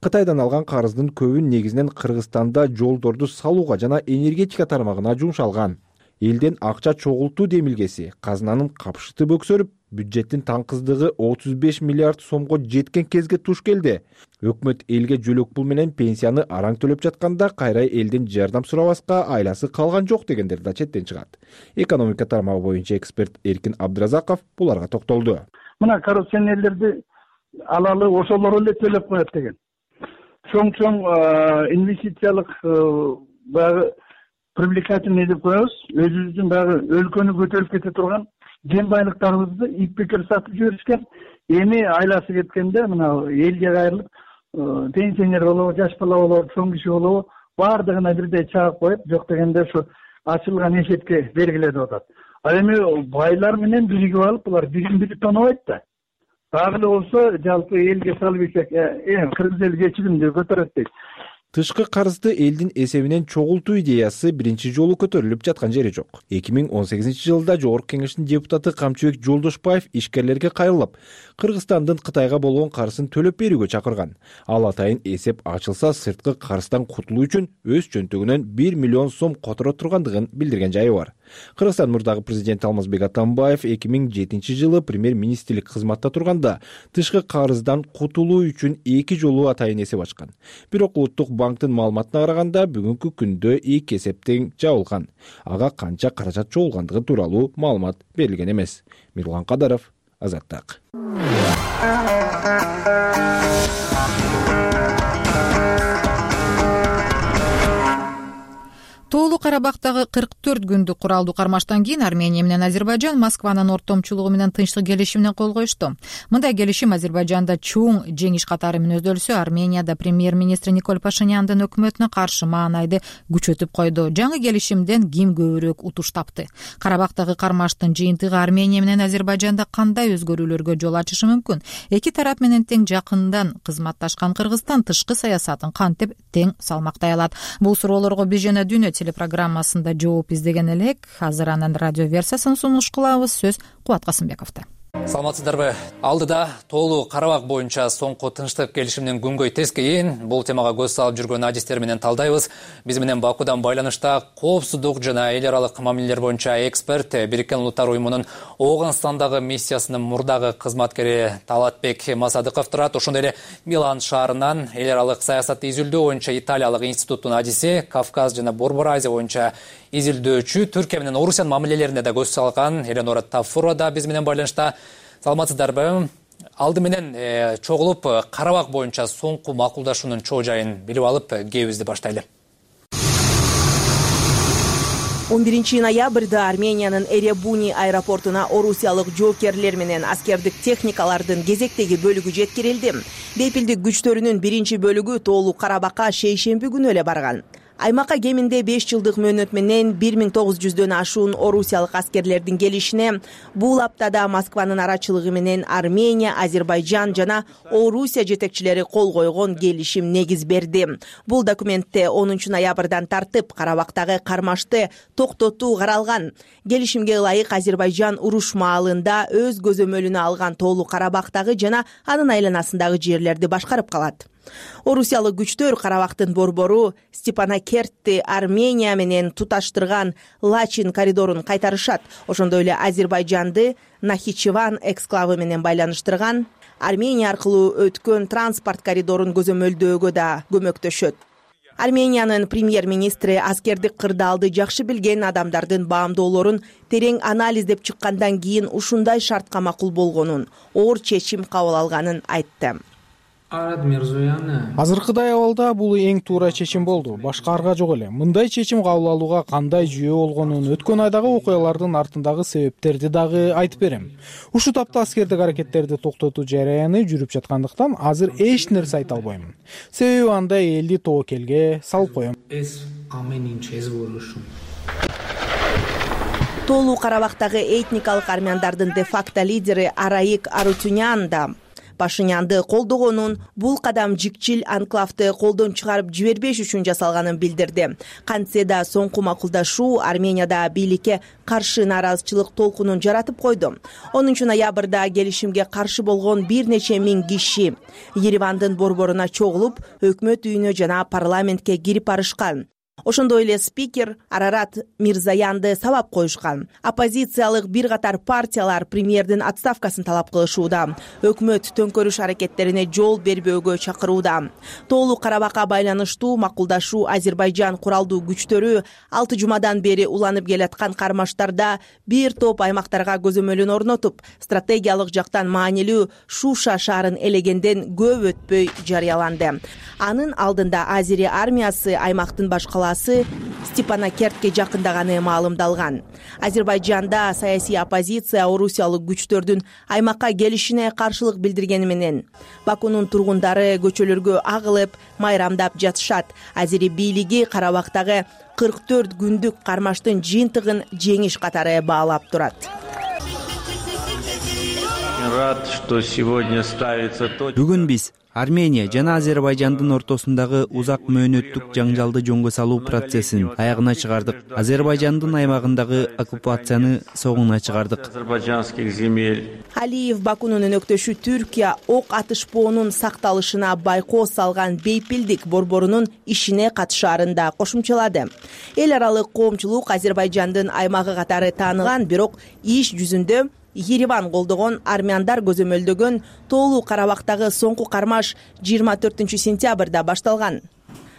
Кытайдан алган карыздын көбүн негизинен Кыргызстанда жолдорду салууга жана энергетика тармагына жумшалган. Элден акча чогултуу демилгеси казынанын капшыты бөксөрүп, бюджеттин таңкыздыгы отуз беш миллиард сомго жеткен кезге туш келди. Өкмөт элге жөлөк пул менен пенсияны араң төлөп жатканда кайра элден жардам сурабаска айласы калган жок дегендер да четтен чыгат. Экономика тармагы боюнча эксперт Эркин Абдыразаков буларга токтолду. Мына коррупционерлерди алалы ошолор эле төлөп коет деген. Чоң-чоң инвестициялык баягы привлекательный деп коебуз, өзүбүздүн баягы өлкөнү көтөрүп кете турган кен байлыктарыбызды ипбекер сатып жиберишкен. Эми айласы кеткенде мына элге кайрылып, пенсионер болобу, жаш бала болобу, чоң киши болобу, баардыгына бирдей чагып коюп, жок дегенде ушу ачылган эшекке бергиледип атат. А эми байлар менен биригип алып, булар бирин бири тонобойт да. Дагы эле болсо жалпы элге салып ийсек, э, кыргыз эл кечигимди көтөрөт дейт. Тышкы карызды элдин эсебинен чогултуу идеясы биринчи жолу көтөрүлүп жаткан жери жок. эки миң он сегизинчи жылда Жогорку Кеңештин депутаты Камчыбек Жолдошбаев ишкерлерге кайрылып, Кыргызстандын Кытайга болгон карызын төлөп берүүгө чакырган. Ал атайын эсеп ачылса, сырткы карыздан кутулуу үчүн өз чөнтөгүнөн бир миллион сом которо тургандыгын билдирген жайы бар. Кыргызстан мурдагы президенти Алмазбек Атамбаев эки миң жетинчи жылы премьер-министрлик кызматта турганда тышкы карыздан кутулуу үчүн эки жолу атайын эсеп ачкан. Бирок улуттук банктын маалыматына караганда бүгүнкү күндө эки эсептен жабылган. Ага канча каражат чогулгандыгы тууралуу маалымат берилген эмес. Мирлан Кадаров, Азаттык. Тоолуу Карабактагы кырк төрт күндүк куралдуу кармаштан кийин Армения менен Азербайжан Москванын ортомчулугу менен тынчтык келишимине кол коюшту. Мындай келишим Азербайжанда чоң жеңиш катары мүнөздөлсө, Арменияда премьер-министр Никол Пашиняндын өкмөтүнө каршы маанайды күчөтүп койду. Жаңы келишимден ким көбүрөөк утуш тапты? Карабактагы кармаштын жыйынтыгы Армения менен Азербайжанда кандай өзгөрүүлөргө жол ачышы мүмкүн? Эки тарап менен тең жакындан кызматташкан Кыргызстан тышкы саясатын кантип тең салмактай алат? Бул суроолорго биз жана Дүйнө телепрограммасында жооп издеген элек. Азыр анын радио версиясын сунуш кылабыз. Сөз Кубат Касымбековдо. Саламатсыздарбы? Алдыда Тоолуу Карабак боюнча соңку тынчтык келишимдин күнгөй тескейин бул темага көз салып жүргөн адистер менен талдайбыз. Биз менен Бакудан байланышта коопсуздук жана эл аралык мамилелер боюнча эксперт, Бириккен Улуттар уюмунун Ооганстандагы миссиясынын мурдагы кызматкери Талатбек Масадыков турат. Ошондой эле Милан шаарынан эл аралык саясатты изилдөө боюнча Италиялык институттун адиси, Кавказ жана Борбор Азия боюнча изилдөөчү, Түркия менен Орусиянын мамилелерине да көз салган Эленора Тафурова да биз менен байланышта. Саламатсыздарбы? Алды менен э, чогулуп Карабак боюнча соңку макулдашуунун чоо жайын билип алып, кебизди баштайлы. он биринчи ноябрда Армениянын Эребуни аэропортуна орусиялык жоокерлер менен аскердик техникалардын кезектеги бөлүгү жеткирилди. Бейпилдик күчтөрүнүн биринчи бөлүгү Тоолуу Карабакка шейшемби күнү эле барган. Аймакка кеминде беш жылдык мөөнөт менен бир миң тогуз жүздөн ашуун орусиялык аскерлердин келишине бул аптада Москванын арачылыгы менен Армения, Азербайжан жана Орусия жетекчилери кол койгон келишим негиз берди. Бул документте онунчу ноябрдан тартып Карабактагы кармашты токтотуу каралган. Келишимге ылайык Азербайжан уруш маалында өз көзөмөлүнө алган Тоолуу Карабактагы жана анын айланасындагы жерлерди башкарып калат. Орусиялык күчтөр Карабактын борбору Степанакертти Армения менен туташтырган Лачин коридорун кайтарышат. Ошондой эле Азербайжанды Нахичеван эксклавы менен байланыштырган Армения аркылуу өткөн транспорт коридорун көзөмөлдөөгө да көмөктөшөт. Армениянын премьер-министри аскердик кырдаалды жакшы билген адамдардын баамдоолорун терең анализдеп чыккандан кийин ушундай шартка макул болгонун, оор чечим кабыл алганын айтты. Азыркыдай абалда бул эң туура чечим болду. Башка арга жок эле. Мындай чечим кабыл алууга кандай жүйө болгонун, өткөн айдагы окуялардын артындагы себептерди дагы айтып берем. Ушул тапта аскердик аракеттерди токтотуу жараяны жүрүп жаткандыктан азыр эч нерсе айта албайм. Себеби анда элди тобокелге салып коем. Тоолуу Карабактагы этникалык армяндардын де-факто лидери Араик Арутюнян да Пашинянды колдогонун, бул кадам жикчил анклавды колдон чыгарып жибербеш үчүн жасалганын билдирди. Кантсе да соңку макулдашуу Арменияда бийликке каршы нааразычылык толкунун жаратып койду. онунчу ноябрда келишимге каршы болгон бир нече миң киши Еревандын борборуна чогулуп, өкмөт үйүнө жана парламентке кирип барышкан. Ошондой эле спикер Арарат Мирзаянды сабап коюшкан. Оппозициялык бир катар партиялар премьердин отставкасын талап кылышууда. Өкмөт төңкөрүш аракеттерине жол бербөөгө чакырууда. Тоолуу Карабакка байланыштуу макулдашуу Азербайжан куралдуу күчтөрү алты жумадан бери уланып келаткан кармаштарда бир топ аймактарга көзөмөлүн орнотуп, стратегиялык жактан маанилүү Шуша шаарын элегенден көп өтпөй жарыяланды. Анын алдында Азери армиясы аймактын башкаласы Степанакертке жакындаганы маалымдалган. Азербайжанда саясий оппозиция орусиялык күчтөрдүн аймакка келишине каршылык билдиргени менен Бакунун тургундары көчөлөргө агылып, майрамдап жатышат. Азери бийлиги Карабактагы кырк төрт күндүк кармаштын жыйынтыгын жеңиш катары баалап турат. Бүгүн биз Армения жана Азербайжандын ортосундагы узак мөөнөттүк жаңжалды жөнгө салуу процессин аягына чыгардык. Азербайжандын аймагындагы оккупацияны согуна чыгардык. Алиев Бакунун өнөктөшү Түркия ок атышпоонун сакталышына байкоо салган бейпилдик борборунун ишине катышаарын да кошумчалады. Эл аралык коомчулук Азербайжандын аймагы катары тааныган, бирок иш жүзүндө Ереван колдогон армяндар көзөмөлдөгөн Тоолуу Карабактагы соңку кармаш жыйырма төртүнчү сентябрда башталган.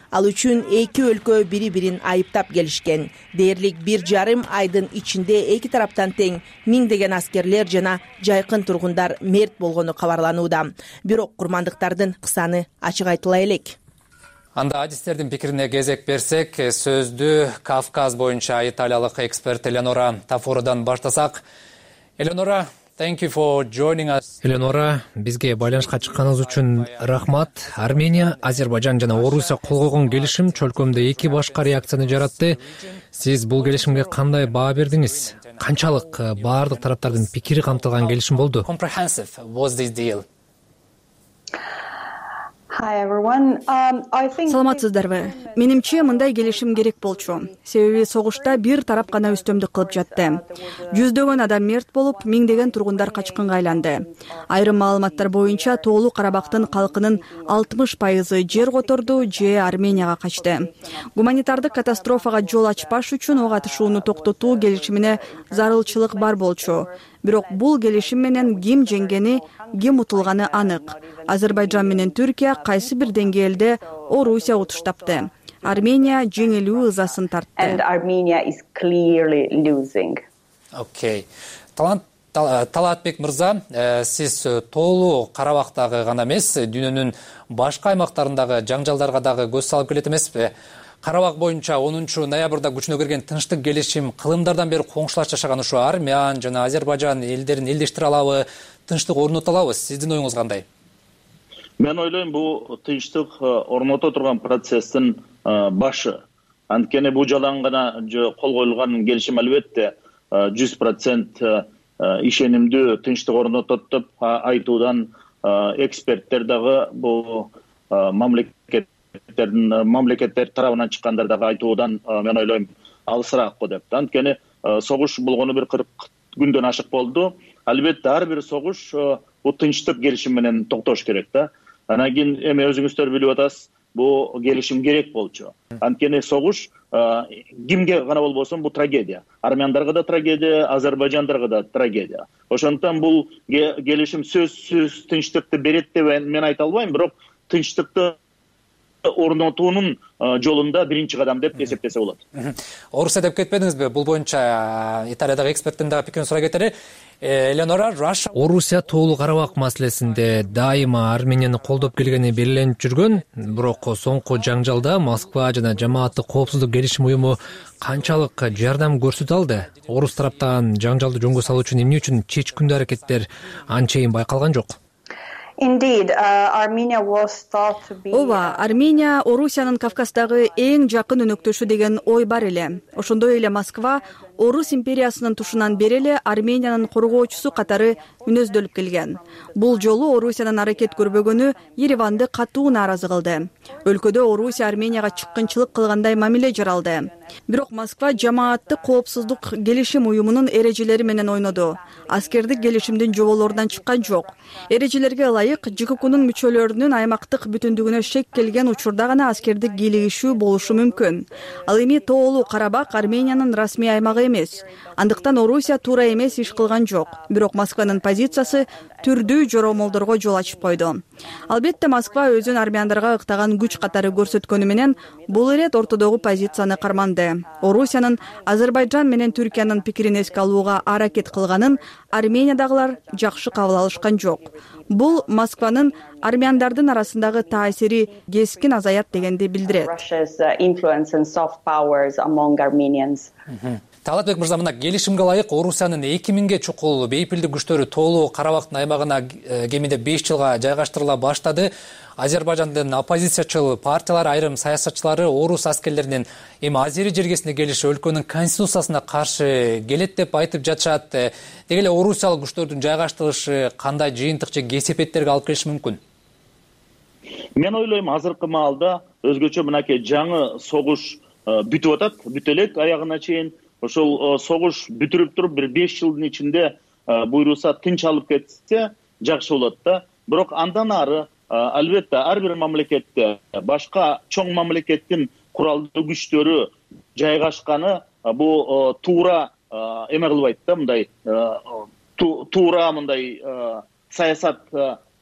Ал үчүн эки өлкө бири-бирин айыптап келишкен. Дээрлик бир жарым айдын ичинде эки тараптан тең миңдеген аскерлер жана жайкын тургундар мерт болгону кабарланууда. Бирок курмандыктардын саны ачык айтыла элек. Анда адистердин пикирине кезек берсек, сөздү Кавказ боюнча италиялык эксперт Элеонора Тафородан баштасак. Элеонора, thank you for joining us. Элеонора, бизге байланышка чыкканыңыз үчүн рахмат. Армения, Азербайжан жана Орусия кол койгон келишим чөлкөмдө эки башка реакцияны жаратты. Сиз бул келишимге кандай баа бердиңиз? Канчалык баардык тараптардын пикири камтылган келишим болду? Comprehensive was this deal? Саламатсыздарбы? Менимче мындай келишим керек болчу. Себеби согушта бир тарап гана үстөмдүк кылып жатты. Жүздөгөн адам мерт болуп, миңдеген тургундар качкынга айланды. Айрым маалыматтар боюнча Тоолуу Карабактын калкынын алтымыш пайызы жер которду же Арменияга качты. Гуманитардык катастрофага жол ачпаш үчүн ок атышууну токтотуу келишимине зарылчылык бар болчу. Бирок бул келишим менен ким жеңгени, ким утулганы анык. Азербайжан менен Түркия кайсы бир деңгээлде Орусия утуш тапты. Армения жеңилүү ызасын тартты. Окей. Талаатбек мырза, сиз Тоолуу Карабактагы гана эмес, дүйнөнүн башка аймактарындагы жаңжалдарга дагы көз салып келет эмеспи? Карабак боюнча онунчу ноябрда күчүнө кирген тынчтык келишим кылымдардан бери коңшулаш жашаган ушу Армян жана Азербайжан элдерин элдештире алабы, тынчтык орното алабы? Сиздин оюңуз кандай? Мен ойлойм, бул тынчтык орното турган процесстин башы. Анткени бул жалаң гана кол коюлган келишим албетте жүз процент ишенимдүү тынчтык орнотот деп айтуудан эксперттер дагы бул мамлекет мамлекеттер тарабынан чыккандар дагы айтуудан мен ойлойм алысыраак го деп. Анткени согуш болгону бир кырк күндөн ашык болду. Албетте ар бир согуш бул тынчтык келишим менен токтош керек да. Анан кийин эми өзүңүздөр билип атасыз, бул келишим керек болчу. Анткени согуш кимге гана болбосун бул трагедия. Армяндарга да трагедия, Азербайжандарга да трагедия. Ошондуктан бул келишим сөзсүз тынчтыкты берет деп мен айта албайм, бирок тынчтыкты орнотуунун жолунда биринчи кадам деп эсептесе болот. Орусия деп кетпедиңизби? Бул боюнча Италиядагы эксперттин дагы пикирин сурай кетели. Элеонора, Орусия Тоолуу Карабак маселесинде дайыма Арменияны колдоп келгени белгиленип жүргөн, бирок соңку жаңжалда Москва жана жамааттык коопсуздук келишим уюму канчалык жардам көрсөтө алды? Орус тараптан жаңжалды жөнгө салуу үчүн эмне үчүн чечкиндүү аракеттер анчейин байкалган жок? ооба, Армения Орусиянын Кавказдагы эң жакын өнөктөшү деген ой бар эле. Ошондой эле Москва Орус империясынын тушунан бери эле Армениянын коргоочусу катары мүнөздөлүп келген. Бул жолу Орусиянын аракет көрбөгөнү Ереванды катуу нааразы кылды. Өлкөдө Орусия Арменияга чыккынчылык кылгандай мамиле жаралды. Бирок Москва жамааттык коопсуздук келишим уюмунун эрежелери менен ойноду. Аскердик келишимдин жоболорунан чыккан жок. Эрежелерге ылайык ЖККнун мүчөлөрүнүн аймактык бүтүндүгүнө шек келген учурда гана аскердик кийлигишүү болушу мүмкүн. Ал эми Тоолуу Карабак Армениянын расмий аймагы эмес. Андыктан Орусия туура эмес иш кылган жок. Бирок Москванын позициясы түрдүү жоромолдорго жол ачып койду. Албетте Москва өзүн армяндарга ыктаган күч катары көрсөткөнү менен бул ирет ортодогу позицияны карманды. Орусиянын Азербайжан менен Түркиянын пикирин эске алууга аракет кылганын Армениядагылар жакшы кабыл алышкан жок. Бул Москванын армяндардын арасындагы таасири кескин азаят дегенди билдирет. Талатбек мырза, мына келишимге ылайык Орусиянын эки миңге чукул бейпилдик күчтөрү Тоолуу Карабактын аймагына кеминде беш жылга жайгаштырыла баштады. Азербайжандын оппозициячыл партиялар, айрым саясатчылары орус аскерлеринин эми Азери жергесине келиши өлкөнүн конституциясына каршы келет деп айтып жатышат. Деги эле орусиялык күчтөрдүн жайгаштырышы кандай жыйынтык же кесепеттерге алып келиши мүмкүн? Мен ойлойм, азыркы маалда өзгөчө мынакей жаңы согуш бүтүп атат, бүтө элек аягына чейин. Ошол согуш бүтүрүп туруп бир беш жылдын ичинде буйруса тынч алып кетсе жакшы болот да. Бирок андан ары албетте ар бир мамлекетте башка чоң мамлекеттин куралдуу күчтөрү жайгашканы бул туура эме кылбайт да, мындай туура мындай саясат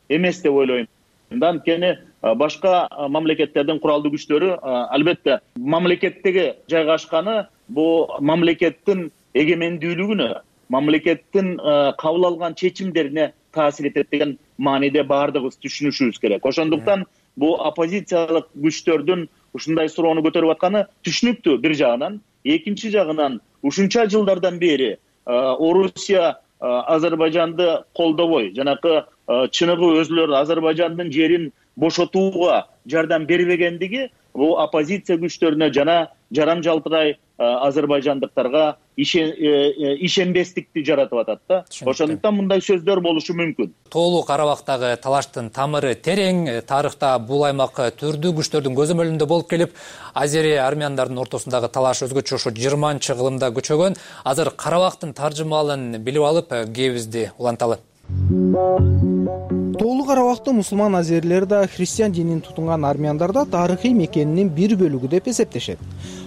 эмес деп ойлойм. Анткени башка мамлекеттердин куралдуу күчтөрү албетте мамлекеттеги жайгашканы бул мамлекеттин эгемендүүлүгүнө, мамлекеттин кабыл алган чечимдерине таасир этет деген мааниде баардыгыбыз түшүнүшүбүз керек. Ошондуктан бул оппозициялык күчтөрдүн ушундай суроону көтөрүп атканы түшүнүктүү бир жагынан. Экинчи жагынан ушунча жылдардан бери Орусия Азербайжанды колдобой, жанакы чыныгы өзүлөр Азербайжандын жерин бошотууга жардам бербегендиги бул оппозиция күчтөрүнө жана жарам жалтырай азербайжандыктарга ишенбестикти жаратып атат да. Ошондуктан мындай сөздөр болушу мүмкүн. Тоолуу Карабактагы талаштын тамыры терең. Тарыхта бул аймак түрдүү күчтөрдүн көзөмөлүндө болуп келип, азери армяндардын ортосундагы талаш өзгөчө ушу жыйырманчы кылымда көчөгөн. Азыр Карабактын таржымалын билип алып, кебизди уланталы. Тоолуу Карабакты мусулман азерлер да христиан динин тутунган армяндар да тарыхый мекенинин бир бөлүгү деп эсептешет.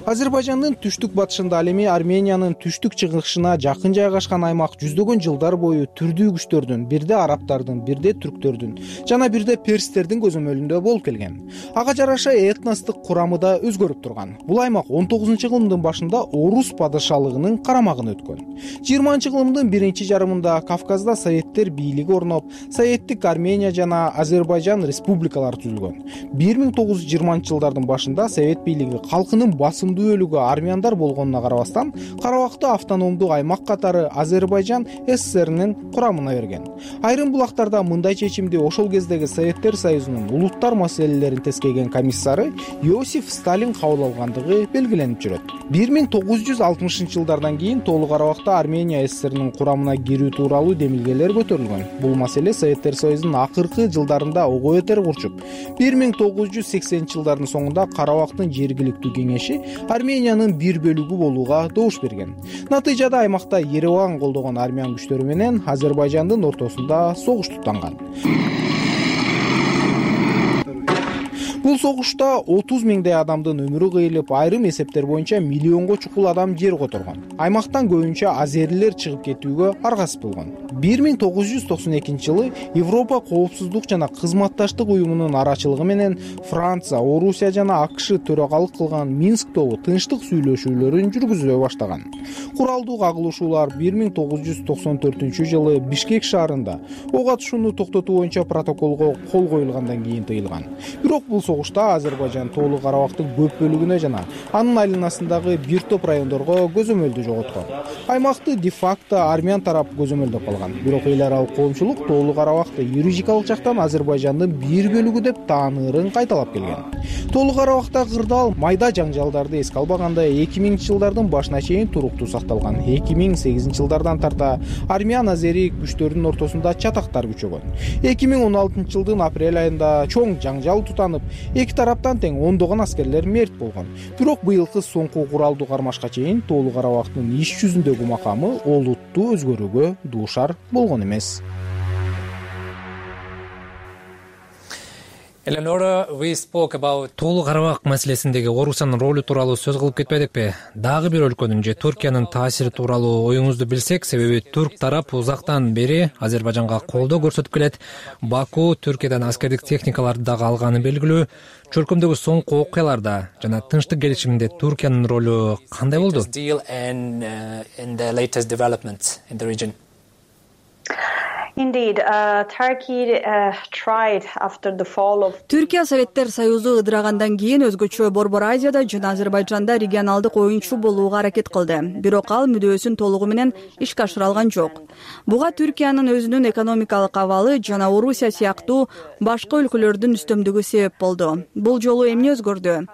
Азербайжандын түштүк батышында, ал эми Армениянын түштүк чыгышына жакын жайгашкан аймак жүздөгөн жылдар бою түрдүү күчтөрдүн, бирде арабтардын, бирде түрктөрдүн жана бирде перстердин көзөмөлүндө болуп келген. Ага жараша этностук курамы да өзгөрүп турган. Бул аймак он тогузунчу кылымдын башында Орус падышалыгынын карамагына өткөн. жыйырманчы кылымдын биринчи жарымында Кавказда советтер бийлиги орноп, советтик Армения жана Азербайжан республикалары түзүлгөн. бир миң тогуз жүз жыйырманчы жылдардын башында совет бийлиги калкынын басымдуу бөлүгү армяндар болгонуна карабастан, Карабакты автономдуу аймак катары Азербайжан СССРнин курамына берген. Айрым булактарда мындай чечимди ошол кездеги Советтер Союзунун улуттар маселелерин тескейген комиссары Иосиф Сталин кабыл алгандыгы белгиленип жүрөт. бир миң тогуз жүз алтымышынчы жылдардан кийин Тоолуу Карабакта Армения СССРнин курамына кирүү тууралуу демилгелер көтөрүлгөн. Бул маселе Советтер Союзунун акыркы жылдарында ого бетер курчуп, бир миң тогуз жүз сексенинчи жылдардын соңунда Карабактын жергиликтүү кеңеши Армениянын бир бөлүгү болууга добуш берген. Натыйжада аймакта Ереван колдогон армян күчтөрү менен Азербайжандын ортосунда согуш туттанган. Бул согушта отуз миңдей адамдын өмүрү кыйылып, айрым эсептер боюнча миллионго чукул адам жер которгон. Аймактан көбүнчө азерлер чыгып кетүүгө аргасыз болгон. бир миң тогуз жүз токсон экинчи жылы Европа коопсуздук жана кызматташтык уюмунун арачылыгы менен Франция, Орусия жана АКШ төрагалык кылган Минск тобу тынчтык сүйлөшүүлөрүн жүргүзө баштаган. Куралдуу кагылышуулар бир миң тогуз жүз токсон төртүнчү жылы Бишкек шаарында ок атышууну токтотуу боюнча протоколго кол коюлгандан кийин тыйылган. Бирок бул согушта Азербайжан Тоолу Карабактын көп бөлүгүнө жана анын айланасындагы бир топ райондорго көзөмөлдү жоготкон. Аймакты де-факто армян тарап көзөмөлдөп калган. Бирок эл аралык коомчулук Тоолу Карабакты юридикалык жактан Азербайжандын бир бөлүгү деп таанырын кайталап келген. Тоолу Карабакта кырдаал майда жаңжалдарды эске албаганда эки миңинчи жылдардын башына чейин туруктуу сакталган. эки миң сегизинчи жылдардан тарта армян азери күчтөрүнүн ортосунда чатактар күчөгөн. эки миң он алтынчы жылдын апрель айында чоң жаңжал тутанып, эки тараптан тең ондогон аскерлер мерт болгон. Бирок быйылкы соңку куралдуу кармашка чейин Тоолу Карабактын иш жүзүндөгү макамы олуттуу өзгөрүүгө дуушар болгон эмес. Eleonora, we spoke about Тоолу Карабак маселесиндеги Орусиянын ролу тууралуу сөз кылып кетпедикпи? Дагы бир өлкөнүн же Түркиянын таасири тууралуу оюңузду билсек, себеби түрк тарап узактан бери Азербайжанга колдоо көрсөтүп келет. Баку Түркиядан аскердик техникаларды дагы алганы белгилүү. Чөлкөмдөгү соңку окуяларда жана тынчтык келишиминде Түркиянын ролу кандай болду? Indeed, uh, Turkey uh, tried after the fall of Түркия Советтер Союзу ыдырагандан кийин өзгөчө Борбор Азияда жана Азербайжанда регионалдык оюнчу болууга аракет кылды. Бирок ал мүдөөсүн толугу менен ишке ашыра алган жок. Буга Түркиянын өзүнүн экономикалык абалы жана Орусия сыяктуу башка өлкөлөрдүн үстөмдүгү себеп болду. Бул жолу эмне өзгөрдү?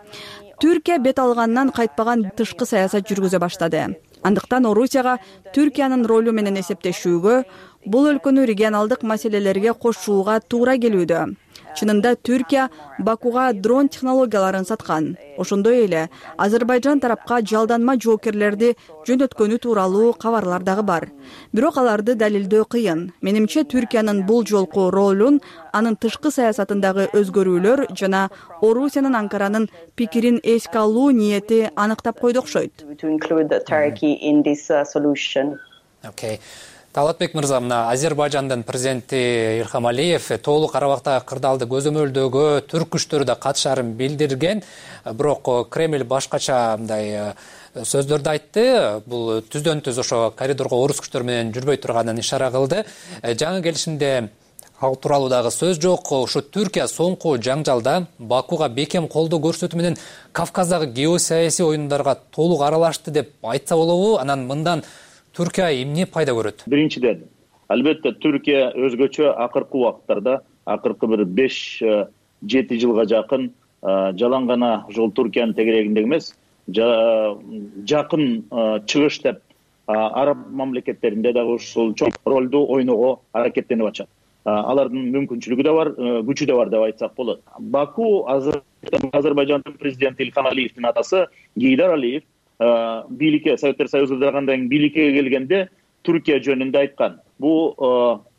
Түркия бет алгандан кайтпаган тышкы саясат жүргүзө баштады. Андыктан Орусияга Түркиянын ролу менен эсептешүүгө, бул өлкөнү регионалдык маселелерге кошууга туура келүүдө. Чынында Түркия Бакуга дрон технологияларын саткан. Ошондой эле Азербайжан тарапка жалданма жоокерлерди жөнөткөнү тууралуу кабарлар дагы бар. Бирок аларды далилдөө кыйын. Менимче Түркиянын бул жолку ролун анын тышкы саясатындагы өзгөрүүлөр жана Орусиянын Анкаранын пикирин эске алуу ниети аныктап койду окшойт. Okay. Талатбек мырза, мына Азербайжандын президенти Илхам Алиев Тоолу Карабактагы кырдаалды көзөмөлдөөгө түрк күчтөрү да катышаарын билдирген. Бирок Кремль башкача мындай сөздөрдү айтты. Бул түздөн түз ошо коридорго орус күчтөрү менен жүрбөй турганын ишара кылды. Жаңы келишимде ал тууралуу дагы сөз жок. Ошо Түркия соңку жаңжалда Бакуга бекем колдоо көрсөтүү менен Кавказдагы геосаясий оюндарга толук аралашты деп айтса болобу? Анан мындан Түркия эмне пайда көрөт? Биринчиден, албетте Түркия өзгөчө акыркы убакыттарда, акыркы бир беш жети жылга жакын жалаң гана ошол Түркиянын тегерегинде эмес, жакын чыгыш деп араб мамлекеттеринде дагы ушул чоң ролду ойноого аракеттенип атышат. Алардын мүмкүнчүлүгү да бар, күчү да бар деп айтсак болот. Баку Азербайжандын президенти Илхам Алиевдин атасы Гейдар Алиев бийликке, Советтер Союзу ыдырагандан бийликке келгенде Түркия жөнүндө айткан. Бул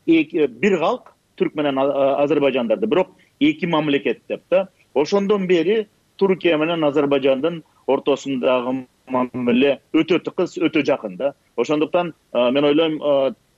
бир калк түрк менен Азербайжандарды, бирок эки мамлекет деп да. Ошондон бери Түркия менен Азербайжандын ортосундагы мамиле өтө тыкыз, өтө жакын да. Ошондуктан мен ойлойм,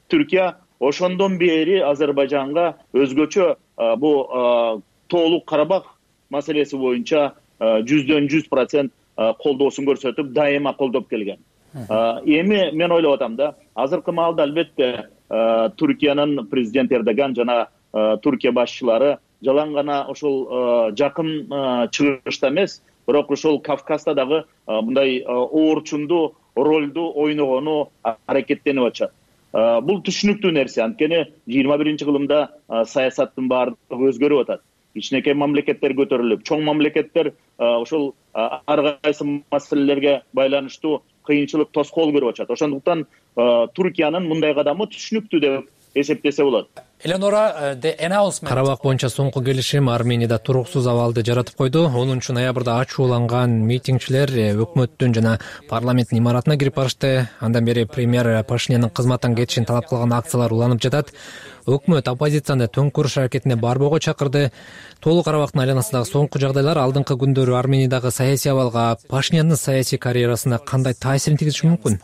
Түркия ошондон бери Азербайжанга өзгөчө бул Тоолу Карабак маселеси боюнча жүздөн жүз процент колдоосун көрсөтүп, дайыма колдоп келген. Эми мен ойлоп атам да, азыркы маалда албетте Түркиянын президенти Эрдоган жана Түркия башчылары жалаң гана ошол жакын чыгышта эмес, бирок ошол Кавказда дагы мындай оорчундуу ролду ойногону аракеттенип атышат. Бул түшүнүктүү нерсе, анткени жыйырма биринчи кылымда саясаттын баардыгы өзгөрүп атат. Кичинекей мамлекеттер көтөрүлүп, чоң мамлекеттер ошол ар кайсы маселелерге байланыштуу кыйынчылык, тоскоол көрүп атышат. Ошондуктан Түркиянын мындай кадамы түшүнүктүү деп эсептесе болот. Карабак боюнча соңку келишим Арменияда туруксуз абалды жаратып койду. онунчу ноябрда ачууланган митингчилер өкмөттүн жана парламенттин имаратына кирип барышты. Андан бери премьер Пашинянын кызматтан кетишин талап кылган акциялар уланып жатат. Өкмөт оппозицияны төңкүрүш аракетине барбоого чакырды. Тоолу Карабактын айланасындагы соңку жагдайлар алдыңкы күндөрү Армениядагы саясий абалга, Пашиняндын саясий карьерасына кандай таасирин тийгизиши мүмкүн?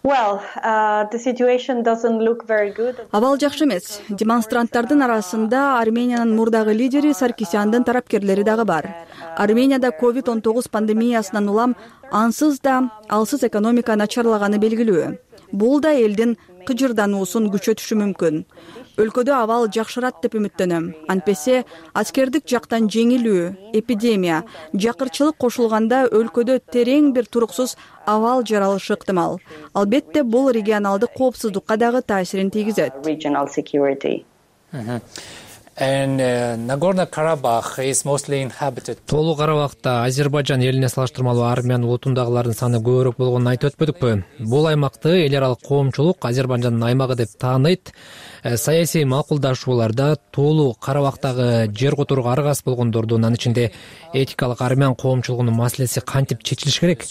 Well, uh, the situation doesn't look very good. Абал жакшы эмес. Демонстранттардын арасында Армениянын мурдагы лидери Саркисяндын тарапкерлери дагы бар. Арменияда ковид он тогуз пандемиясынан улам ансыз да алсыз экономика начарлаганы белгилүү. Бул да элдин кыжырдануусун күчөтүшү мүмкүн. Өлкөдө абал жакшырат деп үмүттөнөм. Антпесе аскердик жактан жеңилүү, эпидемия, жакырчылык кошулганда өлкөдө терең бир туруксуз абал жаралышы ыктымал. Албетте бул регионалдык коопсуздукка дагы таасирин тийгизет. And uh, Nagorno-Karabakh is mostly inhabited. Тоолуу Карабахта Азербайжан элине салыштырмалуу армян улутундагылардын саны көбүрөөк болгонун айтып өтпөдүкпү? Бул аймакты эл аралык коомчулук Азербайжандын аймагы деп тааныйт. Саясий макулдашууларда Тоолуу Карабахтагы жер которууга аргасыз болгондордун, анын ичинде этикалык армян коомчулугунун маселеси кантип чечилиш керек?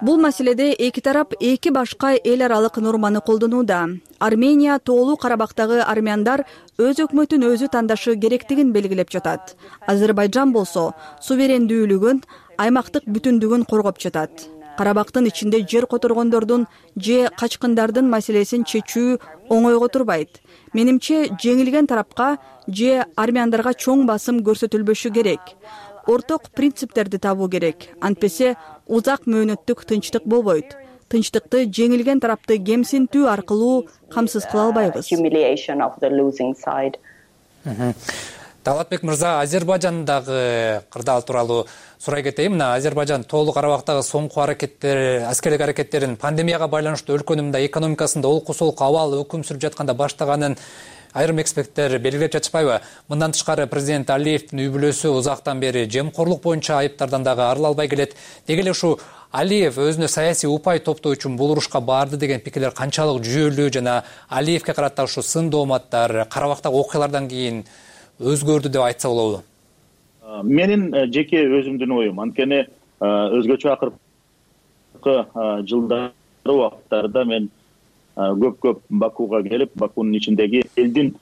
Бул маселеде эки тарап эки башка эл аралык норманы колдонууда. Армения Тоолуу Карабахтагы армяндар өз өкмөтүн өзү тандашы керектигин белгилеп жатат. Азербайжан болсо суверендүүлүгүн, аймактык бүтүндүгүн коргоп жатат. Карабактын ичинде жер которгондордун же качкындардын маселесин чечүү оңойго турбайт. Менимче жеңилген тарапка же армяндарга чоң басым көрсөтүлбөшү керек. Орток принциптерди табуу керек. Антпесе узак мөөнөттүк тынчтык болбойт. Тынчтыкты жеңилген тарапты кемсинтүү аркылуу камсыз кыла албайбыз. Талатбек мырза, Азербайжандагы кырдаал тууралуу сурай кетейин. Мына Азербайжан Тоолуу Карабактагы соңку аракеттер, аскерлик аракеттерин пандемияга байланыштуу өлкөнүн мындай экономикасында олку-солку абал өкүм сүрүп жатканда баштаганын айрым эксперттер белгилеп жатышпайбы? Мындан тышкары президент Алиевдин үй бүлөсү узактан бери жемкорлук боюнча айыптардан дагы арыла албай келет. Деги эле ушу Алиев өзүнө саясий упай топтоо үчүн бул урушка барды деген пикирлер канчалык жүйөлүү жана Алиевке карата ушу сын дооматтар Карабактагы окуялардан кийин өзгөрдү деп айтса болобу? Менин жеке өзүмдүн оюм, анткени өзгөчө акыркы жылдары убакыттарда мен көп-көп Бакууга келип, Бакуунун ичиндеги элдин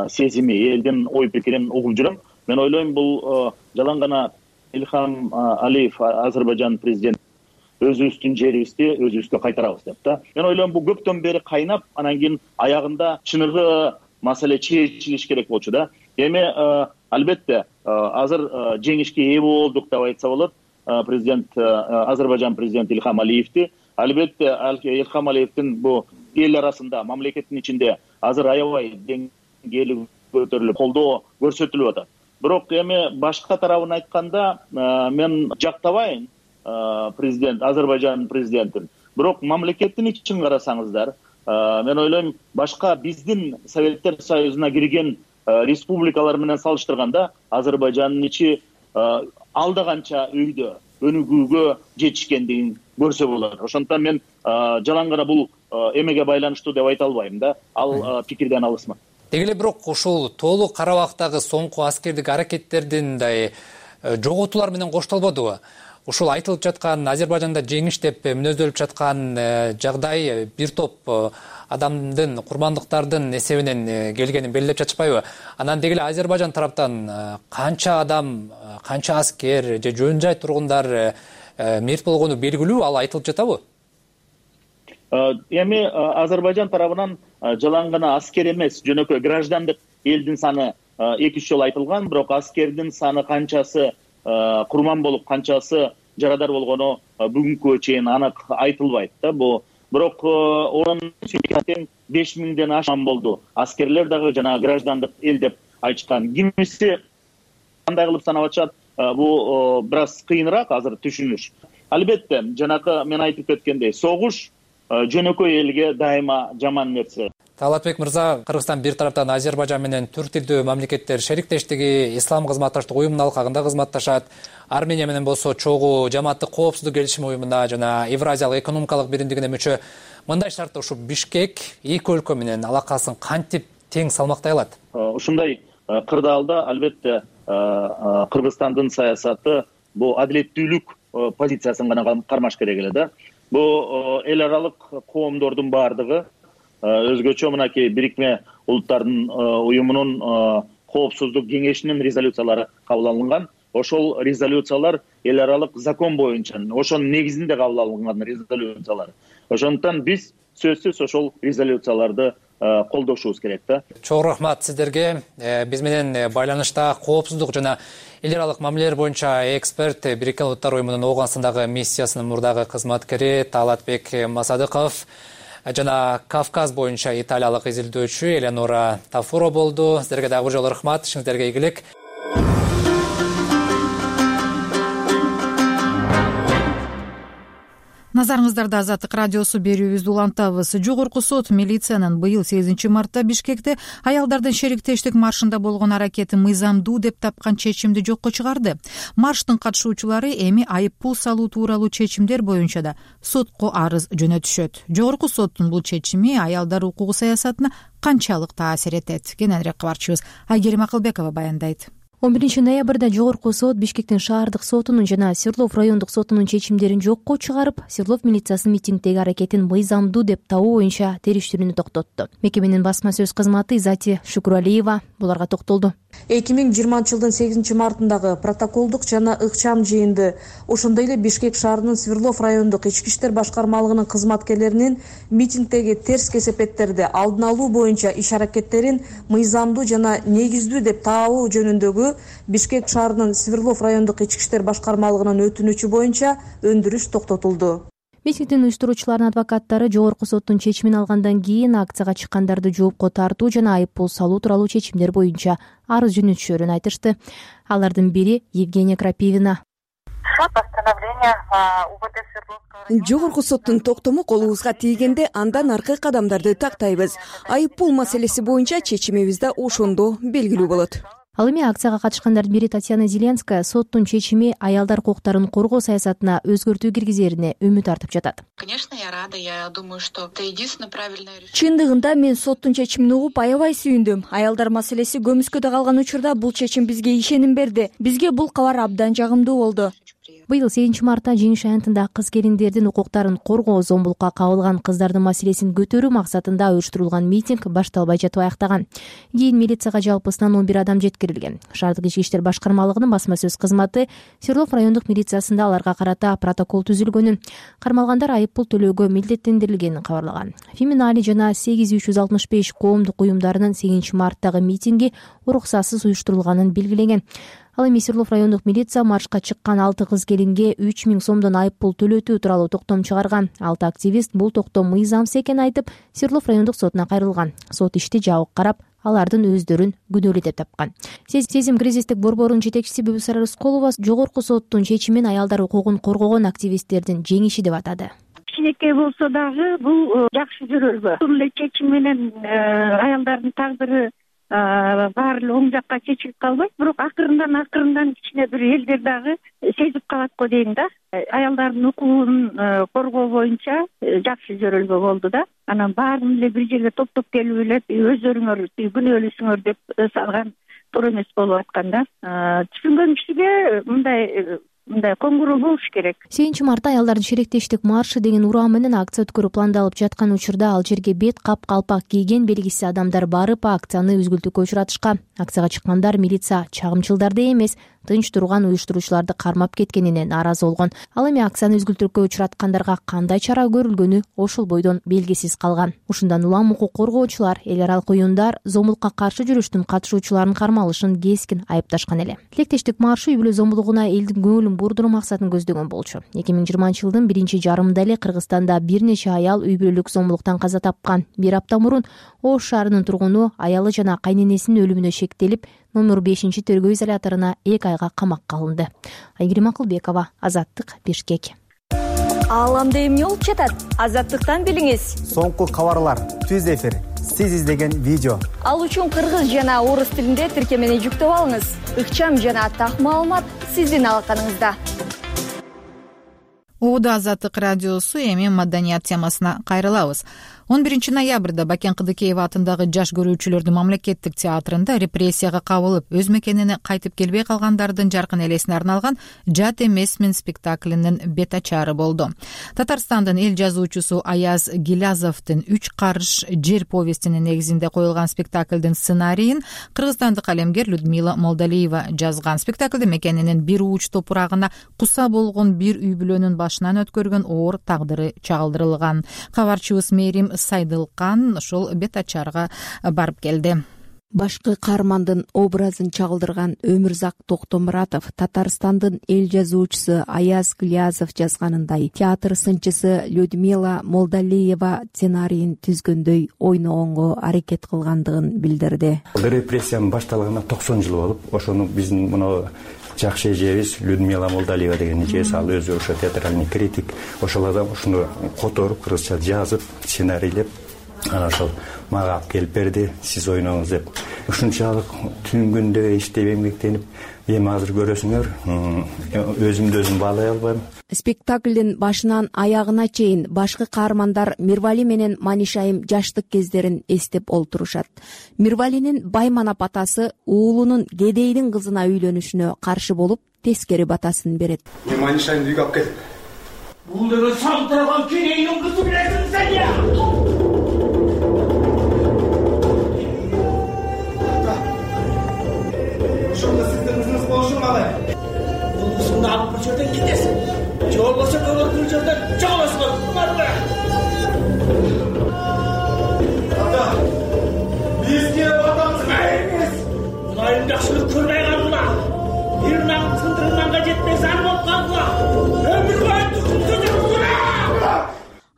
сезими, элдин ой пикирин угуп жүрөм. Мен ойлойм, бул жалаң гана Илхам Алиев, Азербайжан президент, өзүбүздүн жерибизди өзүбүзгө кайтарабыз деп да. Мен ойлойм, бул көптөн бери кайнап, анан кийин аягында чыныгы маселе чечилиш керек болчу да. Эми албетте азыр жеңишке ээ болдук деп айтса болот. Президент, Азербайжан президенти Илхам Алиевди, албетте Илхам Алиевдин бу эл арасында, мамлекеттин ичинде азыр аябай деңгээли көтөрүлүп, колдоо көрсөтүлүп атат. Бирок эми башка тарабын айтканда, мен жактабайм президент, Азербайжан президентин. Бирок мамлекеттин ичин карасаңыздар, мен ойлойм, башка биздин Советтер Союзуна кирген республикалар менен салыштырганда Азербайжандын ичи алда канча өйдө өнүгүүгө жетишкендигин көрсө болот. Ошондуктан мен жалаң гана бул эмеге байланыштуу деп айта албайм да. Ал пикирден алысмын. Деги эле бирок ушул Тоолуу Карабактагы соңку аскердик аракеттердин мындай жоготуулар менен коштолбодубу? Ушул айтылып жаткан Азербайжанда жеңиш деп мүнөздөлүп жаткан жагдай бир топ адамдын, курмандыктардын эсебинен келгенин белгилеп жатышпайбы? Анан деги эле Азербайжан тараптан канча адам, канча аскер же жөн жай тургундар мерт болгону белгилүү, ал айтылып жатабы? Эми Азербайжан тарабынан жалаң гана аскер эмес, жөнөкөй граждандык элдин саны эки үч жолу айтылган, бирок аскердин саны канчасы курман болуп, канчасы жарадар болгону бүгүнкү чейин анык айтылбайт да. Бу бирок орун тең беш миңден ашкан болду. Аскерлер дагы жана граждандык эл деп айтышкан. Кимиси кандай кылып санап атышат, бу бир аз кыйыныраак азыр түшүнүш. Албетте, жанакы мен айтып кеткендей, согуш жөнөкөй элге дайыма жаман нерсе. Талатбек мырза, Кыргызстан бир тараптан Азербайжан менен түрк тилдүү мамлекеттер шериктештиги, ислам кызматташтык уюмунун алкагында кызматташат. Армения менен болсо чогуу жамааттык коопсуздук келишим уюмуна жана Евразиялык экономикалык биримдигине мүчө. Мындай шартта ушу Бишкек эки өлкө менен алакасын кантип тең салмактай алат? Ушундай кырдаалда албетте Кыргызстандын саясаты бу адилеттүүлүк позициясын гана кармаш керек эле да. Бу эл аралык коомдордун бардыгы өзгөчө мынакей Бирикме Улуттардын уюмунун коопсуздук кеңешинин резолюциялары кабыл алынган. ошол резолюциялар эл аралык закон боюнча ошонун негизинде кабыл алынган резолюциялар. Ошондуктан биз сөзсүз ошол резолюцияларды колдошубуз керек да. Чоң рахмат сиздерге. Биз менен байланышта коопсуздук жана эл аралык мамилелер боюнча эксперт Бириккен Улуттар уюмунун Ооганстандагы миссиясынын мурдагы кызматкери Талатбек Масадыков жана Кавказ боюнча италиялык изилдөөчү Элеонора Тафуро болду. Сиздерге дагы бир жолу рахмат. Ишиңиздерге ийгилик. Назарыңыздарда Азаттык радиосу берүүбүздү улантабыз. Жогорку сот милициянын быйыл сегизинчи мартта Бишкекте аялдардын шериктештик маршында болгон аракети мыйзамдуу деп тапкан чечимди жокко чыгарды. Марштын катышуучулары эми айыппул салуу тууралуу чечимдер боюнча да сотко арыз жөнөтүшөт. Жогорку соттун бул чечими аялдар укугу саясатына канчалык таасир этет? Кененирээк кабарчыбыз Айгерим Акылбекова баяндайт. он биринчи ноябрда Жогорку сот Бишкектин шаардык сотунун жана Свердлов райондук сотунун чечимдерин жокко чыгарып, Свердлов милициясынын митингдеги аракетин мыйзамдуу деп табуу боюнча териштирүүнү токтотту. Мекеменин басма сөз кызматы Изати Шукуралиева буларга токтолду. эки миң жыйырманчы жылдын сегизинчи мартындагы протоколдук жана ыкчам жыйынды, ошондой эле Бишкек шаарынын Свердлов райондук ички иштер башкармалыгынын кызматкерлеринин митингдеги терс кесепеттерди алдын алуу боюнча иш-аракеттерин мыйзамдуу жана негиздүү деп табуу жөнүндөгү Бишкек шаарынын Свердлов райондук ички иштер башкармалыгынын өтүнүчү боюнча өндүрүш токтотулду. Митингдин уюштуруучуларынын адвокаттары Жогорку соттун чечимин алгандан кийин акцияга чыккандарды жоопко тартуу жана айыппул салуу тууралуу чечимдер боюнча арыз жөнөтүшөрүн айтышты. Алардын бири Евгения Крапивина. Жогорку соттун токтому колубузга тийгенде андан аркы кадамдарды тактайбыз. Айыппул маселеси боюнча чечимибиз да ошондо белгилүү болот. Ал эми акцияга катышкандардын бири Татьяна Зеленская соттун чечими аялдар укуктарын коргоо саясатына өзгөртүү киргизерине үмүт артып жатат. Конечно, я рада. Я думаю, что это единственное правильное решение. Чындыгында мен соттун чечимин угуп аябай сүйүндүм. Аялдар маселеси көмүскөдө калган учурда бул чечим бизге ишеним берди. Бизге бул кабар абдан жагымдуу болду. Быйыл сегизинчи мартта Жеңиш аянтында кыз келиндердин укуктарын коргоо, зомбулукка кабылган кыздардын маселесин көтөрүү максатында уюштурулган митинг башталбай жатып аяктаган. Кийин милицияга жалпысынан он бир адам жеткирилген. Шаардык ички иштер башкармалыгынын басма сөз кызматы Свердлов райондук милициясында аларга карата протокол түзүлгөнүн, кармалгандар айыппул төлөөгө милдеттендирилгенин кабарлаган. Феминали жана сегиз үч жүз алтымыш беш коомдук уюмдарынын сегизинчи марттагы митинги уруксатсыз уюштурулганын белгилеген. Ал эми Свердлов райондук милиция маршка чыккан алты кыз келинге үч миң сомдон айыппул төлөтүү тууралуу токтом чыгарган. Алты активист бул токтом мыйзамсыз экенин айтып, Свердлов райондук сотуна кайрылган. Сот ишти жабык карап, алардын өздөрүн күнөөлүү деп тапкан. Сезим кризистик борборунун жетекчиси Бүбүсара Рысколова Жогорку соттун чечимин аялдар укугун коргогон активисттердин жеңиши деп атады. Кичинекей болсо дагы бул жакшы жөрөлбө. Бул эле чечим менен аялдардын тагдыры баары эле оң жакка чечилип калбайт, бирок акырындан акырындан кичине бир элдер дагы сезип калат го дейм да. Аялдардын укугун коргоо боюнча жакшы жөрөлбө болду да. Анан баарын эле бир жерге топтоп келип эле өздөрүңөр күнөөлүүсүңөр деп салган туура эмес болуп аткан да. Түшүнгөн кишиге мындай мындай коңгуроо болуш керек. сегизинчи мартта аялдардын шериктештик маршы деген урам менен акция өткөрүү пландалып жаткан учурда ал жерге бет кап калпак кийген белгисиз адамдар барып акцияны үзгүлтүккө учуратышкан. Акцияга чыккандар милиция чагымчылдарды эмес, тынч турган уюштуруучуларды кармап кеткенине нааразы болгон. Ал эми акцияны үзгүлтүккө учураткандарга кандай чара көрүлгөнү ошол бойдон белгисиз калган. Ушундан улам укук коргоочулар, эл аралык уюмдар зомбулукка каршы жүрүштүн катышуучуларын кармалышын кескин айыпташкан эле. Тилектештик маршы үй бүлө зомбулугуна элдин көңүлүн бурдуруу максатын көздөгөн болчу. эки миң жыйырманчы жылдын биринчи жарымында эле Кыргызстанда бир нече аял үй бүлөлүк зомбулуктан каза тапкан. Бир апта мурун Ош шаарынын тургуну аялы жана кайненесинин өлүмүнө шектелип, номер бешинчи тергөө изоляторуна эки айга камакка алынды. Айгерим Акылбекова, Азаттык, Бишкек. Ааламда эмне болуп жатат? Азаттыктан билиңиз. Соңку кабарлар, түз эфир, сиз издеген видео. Ал үчүн кыргыз жана орус тилинде тиркемени жүктөп алыңыз. Ыкчам жана так маалымат сиздин алаканыңызда. Оодо Азаттык радиосу эми маданият темасына кайрылабыз. он биринчи ноябрда Бакен Кыдыкеева атындагы жаш көрүүчүлөрдүн мамлекеттик театрында репрессияга кабылып өз мекенине кайтып келбей калгандардын жаркын элесине арналган «Жат эмесмин» спектаклинин бет ачары болду. Татарстандын эл жазуучусу Аяз Гилязовдун «Үч карыш жер» повестинин негизинде коюлган спектаклдин сценарийин кыргызстандык калемгер Людмила Молдалиева жазган. Спектаклде мекенинин бир ууч топурагына куса болгон бир үй бүлөнүн башынан өткөргөн оор тагдыры чагылдырылган. Кабарчыбыз Мерим Сайдылкан ошол бет ачарга барып келди. Башкы каармандын образын чагылдырган Өмүрзак Токтомуратов Татарстандын эл жазуучусу Аяз Гилязов жазганындай театр сынчысы Людмила Молдалиева сценарийин түзгөндөй ойногонго аракет кылгандыгын билдирди. Репрессиянын башталганына токсон жыл болуп, ошону биздин мына жакшы эжебиз Людмила Молдалиева деген эжебиз, ал өзү ошо театральный критик, ошол адам ушуну которуп, кыргызча жазып, сценарийлеп, анан ошол мага алып келип берди, сиз ойноңуз деп. Ушунчалык түн күндө иштеп эмгектенип, эми азыр көрөсүңөр, өзүмдү өзүм баалай албайм. Спектаклдин башынан аягына чейин башкы каармандар Мирвали менен Манишайым жаштык кездерин эстеп олтурушат. Мирвалинин Байманап атасы уулунун Кедейдин кызына үйлөнүшүнө каршы болуп, тескери батасын берет. Мен Манишайымды үйгө алып келдим. Бул деген салтырган Кедейдин кызы билесиң сен я? Ошондо сиздин кызыңыз болушун калай? Бул кызыңды алып бир жерден кетесиң. Же болбосо көбөр бир жерден жоголосуңар. Барбы? Ата, бизге батамыз эмес. Кудайым жакшылык көрбөй калдыла. Бир нагын сындырганга жетпей зар болуп калдыла. Өмүр бою түзүп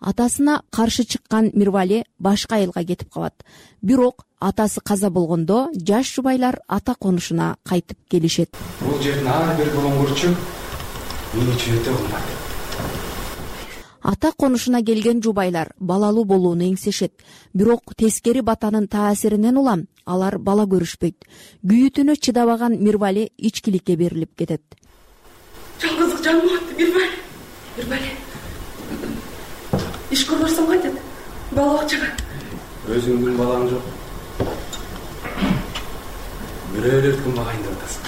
Атасына каршы чыккан Мирвали башка айылга кетип калат. Бирок атасы каза болгондо жаш жубайлар ата конушуна кайтып келишет. Бул жердин ар бир болоңгурчу мени чөйтө кылмат. Ата конушуна келген жубайлар балалуу болууну эңсешет. Бирок тескери батанын таасиринен улам алар бала көрүшпөйт. Күйүтүнө чыдабаган Мирвали ичкиликке берилип кетет. Жалгыздык жаныма атты, Мирвали. Мирвали. Иш көрбөсөм кайтат. Бала бакчага. Өзүңдүн балаң жок. Бирөөлөр кылмаган деп атасың.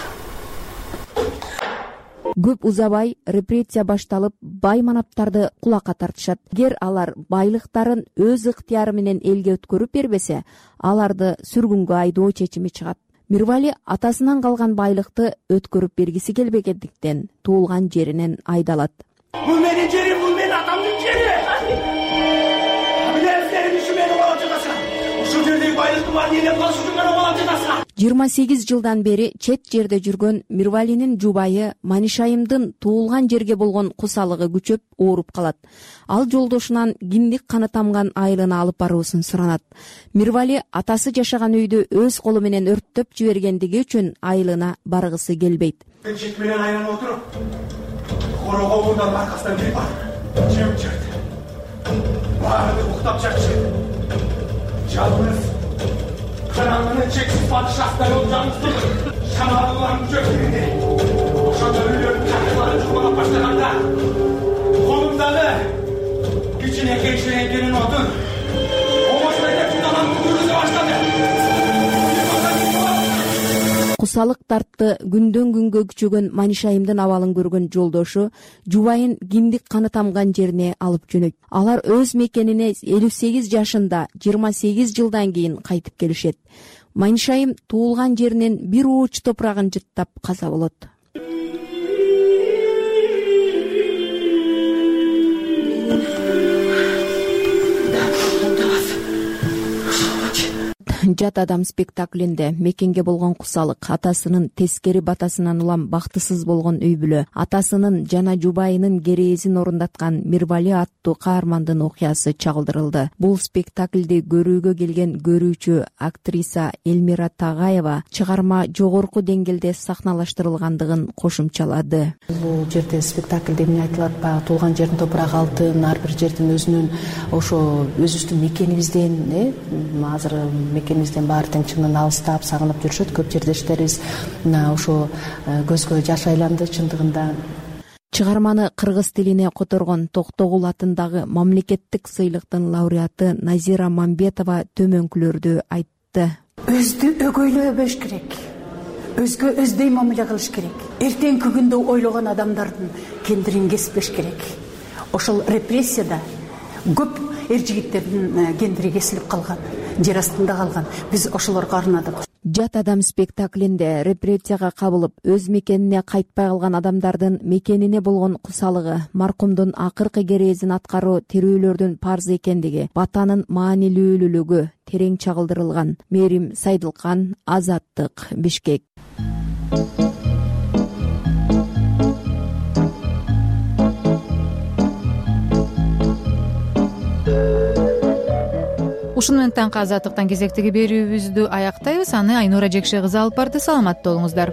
Көп узабай репрессия башталып, байманаптарды кулакка тартышат. Эгер алар байлыктарын өз ыктыяры менен элге өткөрүп бербесе, аларды сүргүнгө айдоо чечими чыгат. Мирвали атасынан калган байлыкты өткөрүп бергиси келбегендиктен туулган жеринен айдалат. Бул менин жерим, бул менин атамдын жери. Билесиңер, иши мени калап жатасың. Ушул жердеги байлыкты бар эле калыш үчүн мени калап жатасың. жыйырма сегиз жылдан бери чет жерде жүргөн Мирвалинин жубайы Манишайымдын туулган жерге болгон кусалыгы күчөп ооруп калат. Ал жолдошунан киндик каны тамган айылына алып баруусун суранат. Мирвали атасы жашаган үйдү өз колу менен өрттөп жибергендиги үчүн айылына баргысы келбейт. Мен чек менен айланып отуруп, корого мурдан аркасынан кирип бар. Жеп жүрдү. Баары уктап жатчы. Жалгыз караңгынын чексиз падышасында олжаңызды шамалууларын жөктүрүндө. Ошондо үйлөрдүн чакырларын жумалап баштаганда колумдагы кичинекей ширеңкенин отун омоштой деп жунаган күрүзө баштады. Кусалык тартты күндөн күнгө күчөгөн Манишайымдын абалын көргөн жолдошу жубайын киндик каны тамган жерине алып жөнөйт. Алар өз мекенине элүү сегиз жашында жыйырма сегиз жылдан кийин кайтып келишет. Манишайым туулган жеринин бир ууч топурагын жыттап каза болот. Жат адам спектаклинде мекенге болгон кусалык, атасынын тескери батасынан улам бактысыз болгон үй бүлө, атасынын жана жубайынын кереезин орундаткан Мирвали аттуу каармандын окуясы чагылдырылды. Бул спектаклди көрүүгө келген көрүүчү актриса Элмира Тагаева чыгарма жогорку деңгээлде сахналаштырылгандыгын кошумчалады. Бул жерде спектаклде эмне айтылат? Баягы туулган жердин топурагы алтын, ар бир жердин өзүнүн ошо өзүбүздүн мекенибизден, э, азыр мекенибизден баары тең чынын алыстап, сагынып жүрүшөт. Көп жердештерибиз мына ошо көзгө жаш айланды чындыгында. чыгарманы кыргыз тилине которгон Токтогул атындагы мамлекеттик сыйлыктын лауреаты Назира Мамбетова төмөнкүлөрдү айтты. Өздү өгөйлөбөш керек, өзгө өздөй мамиле кылыш керек, эртеңки күндө ойлогон адамдардын кендирин кеспеш керек. Ошол репрессияда көп эр жигиттердин кендири кесилип калган, жер астында калган. Биз ошолорго арнадык. Жат адам спектаклинде репрессияга кабылып өз мекенине кайтпай калган адамдардын мекенине болгон кусалыгы, маркумдун акыркы керезин аткаруу тирүүлөрдүн парзы экендиги, батанын маанилүүлүүлүгү терең чагылдырылган. Мээрим Сайдылкан, Азаттык, Бишкек. Ушуну менен таңкы Азаттыктан кезектеги берүүбүздү аяктайбыз. Аны Айнура Жекше кызы алып барды. Саламатта болуңуздар.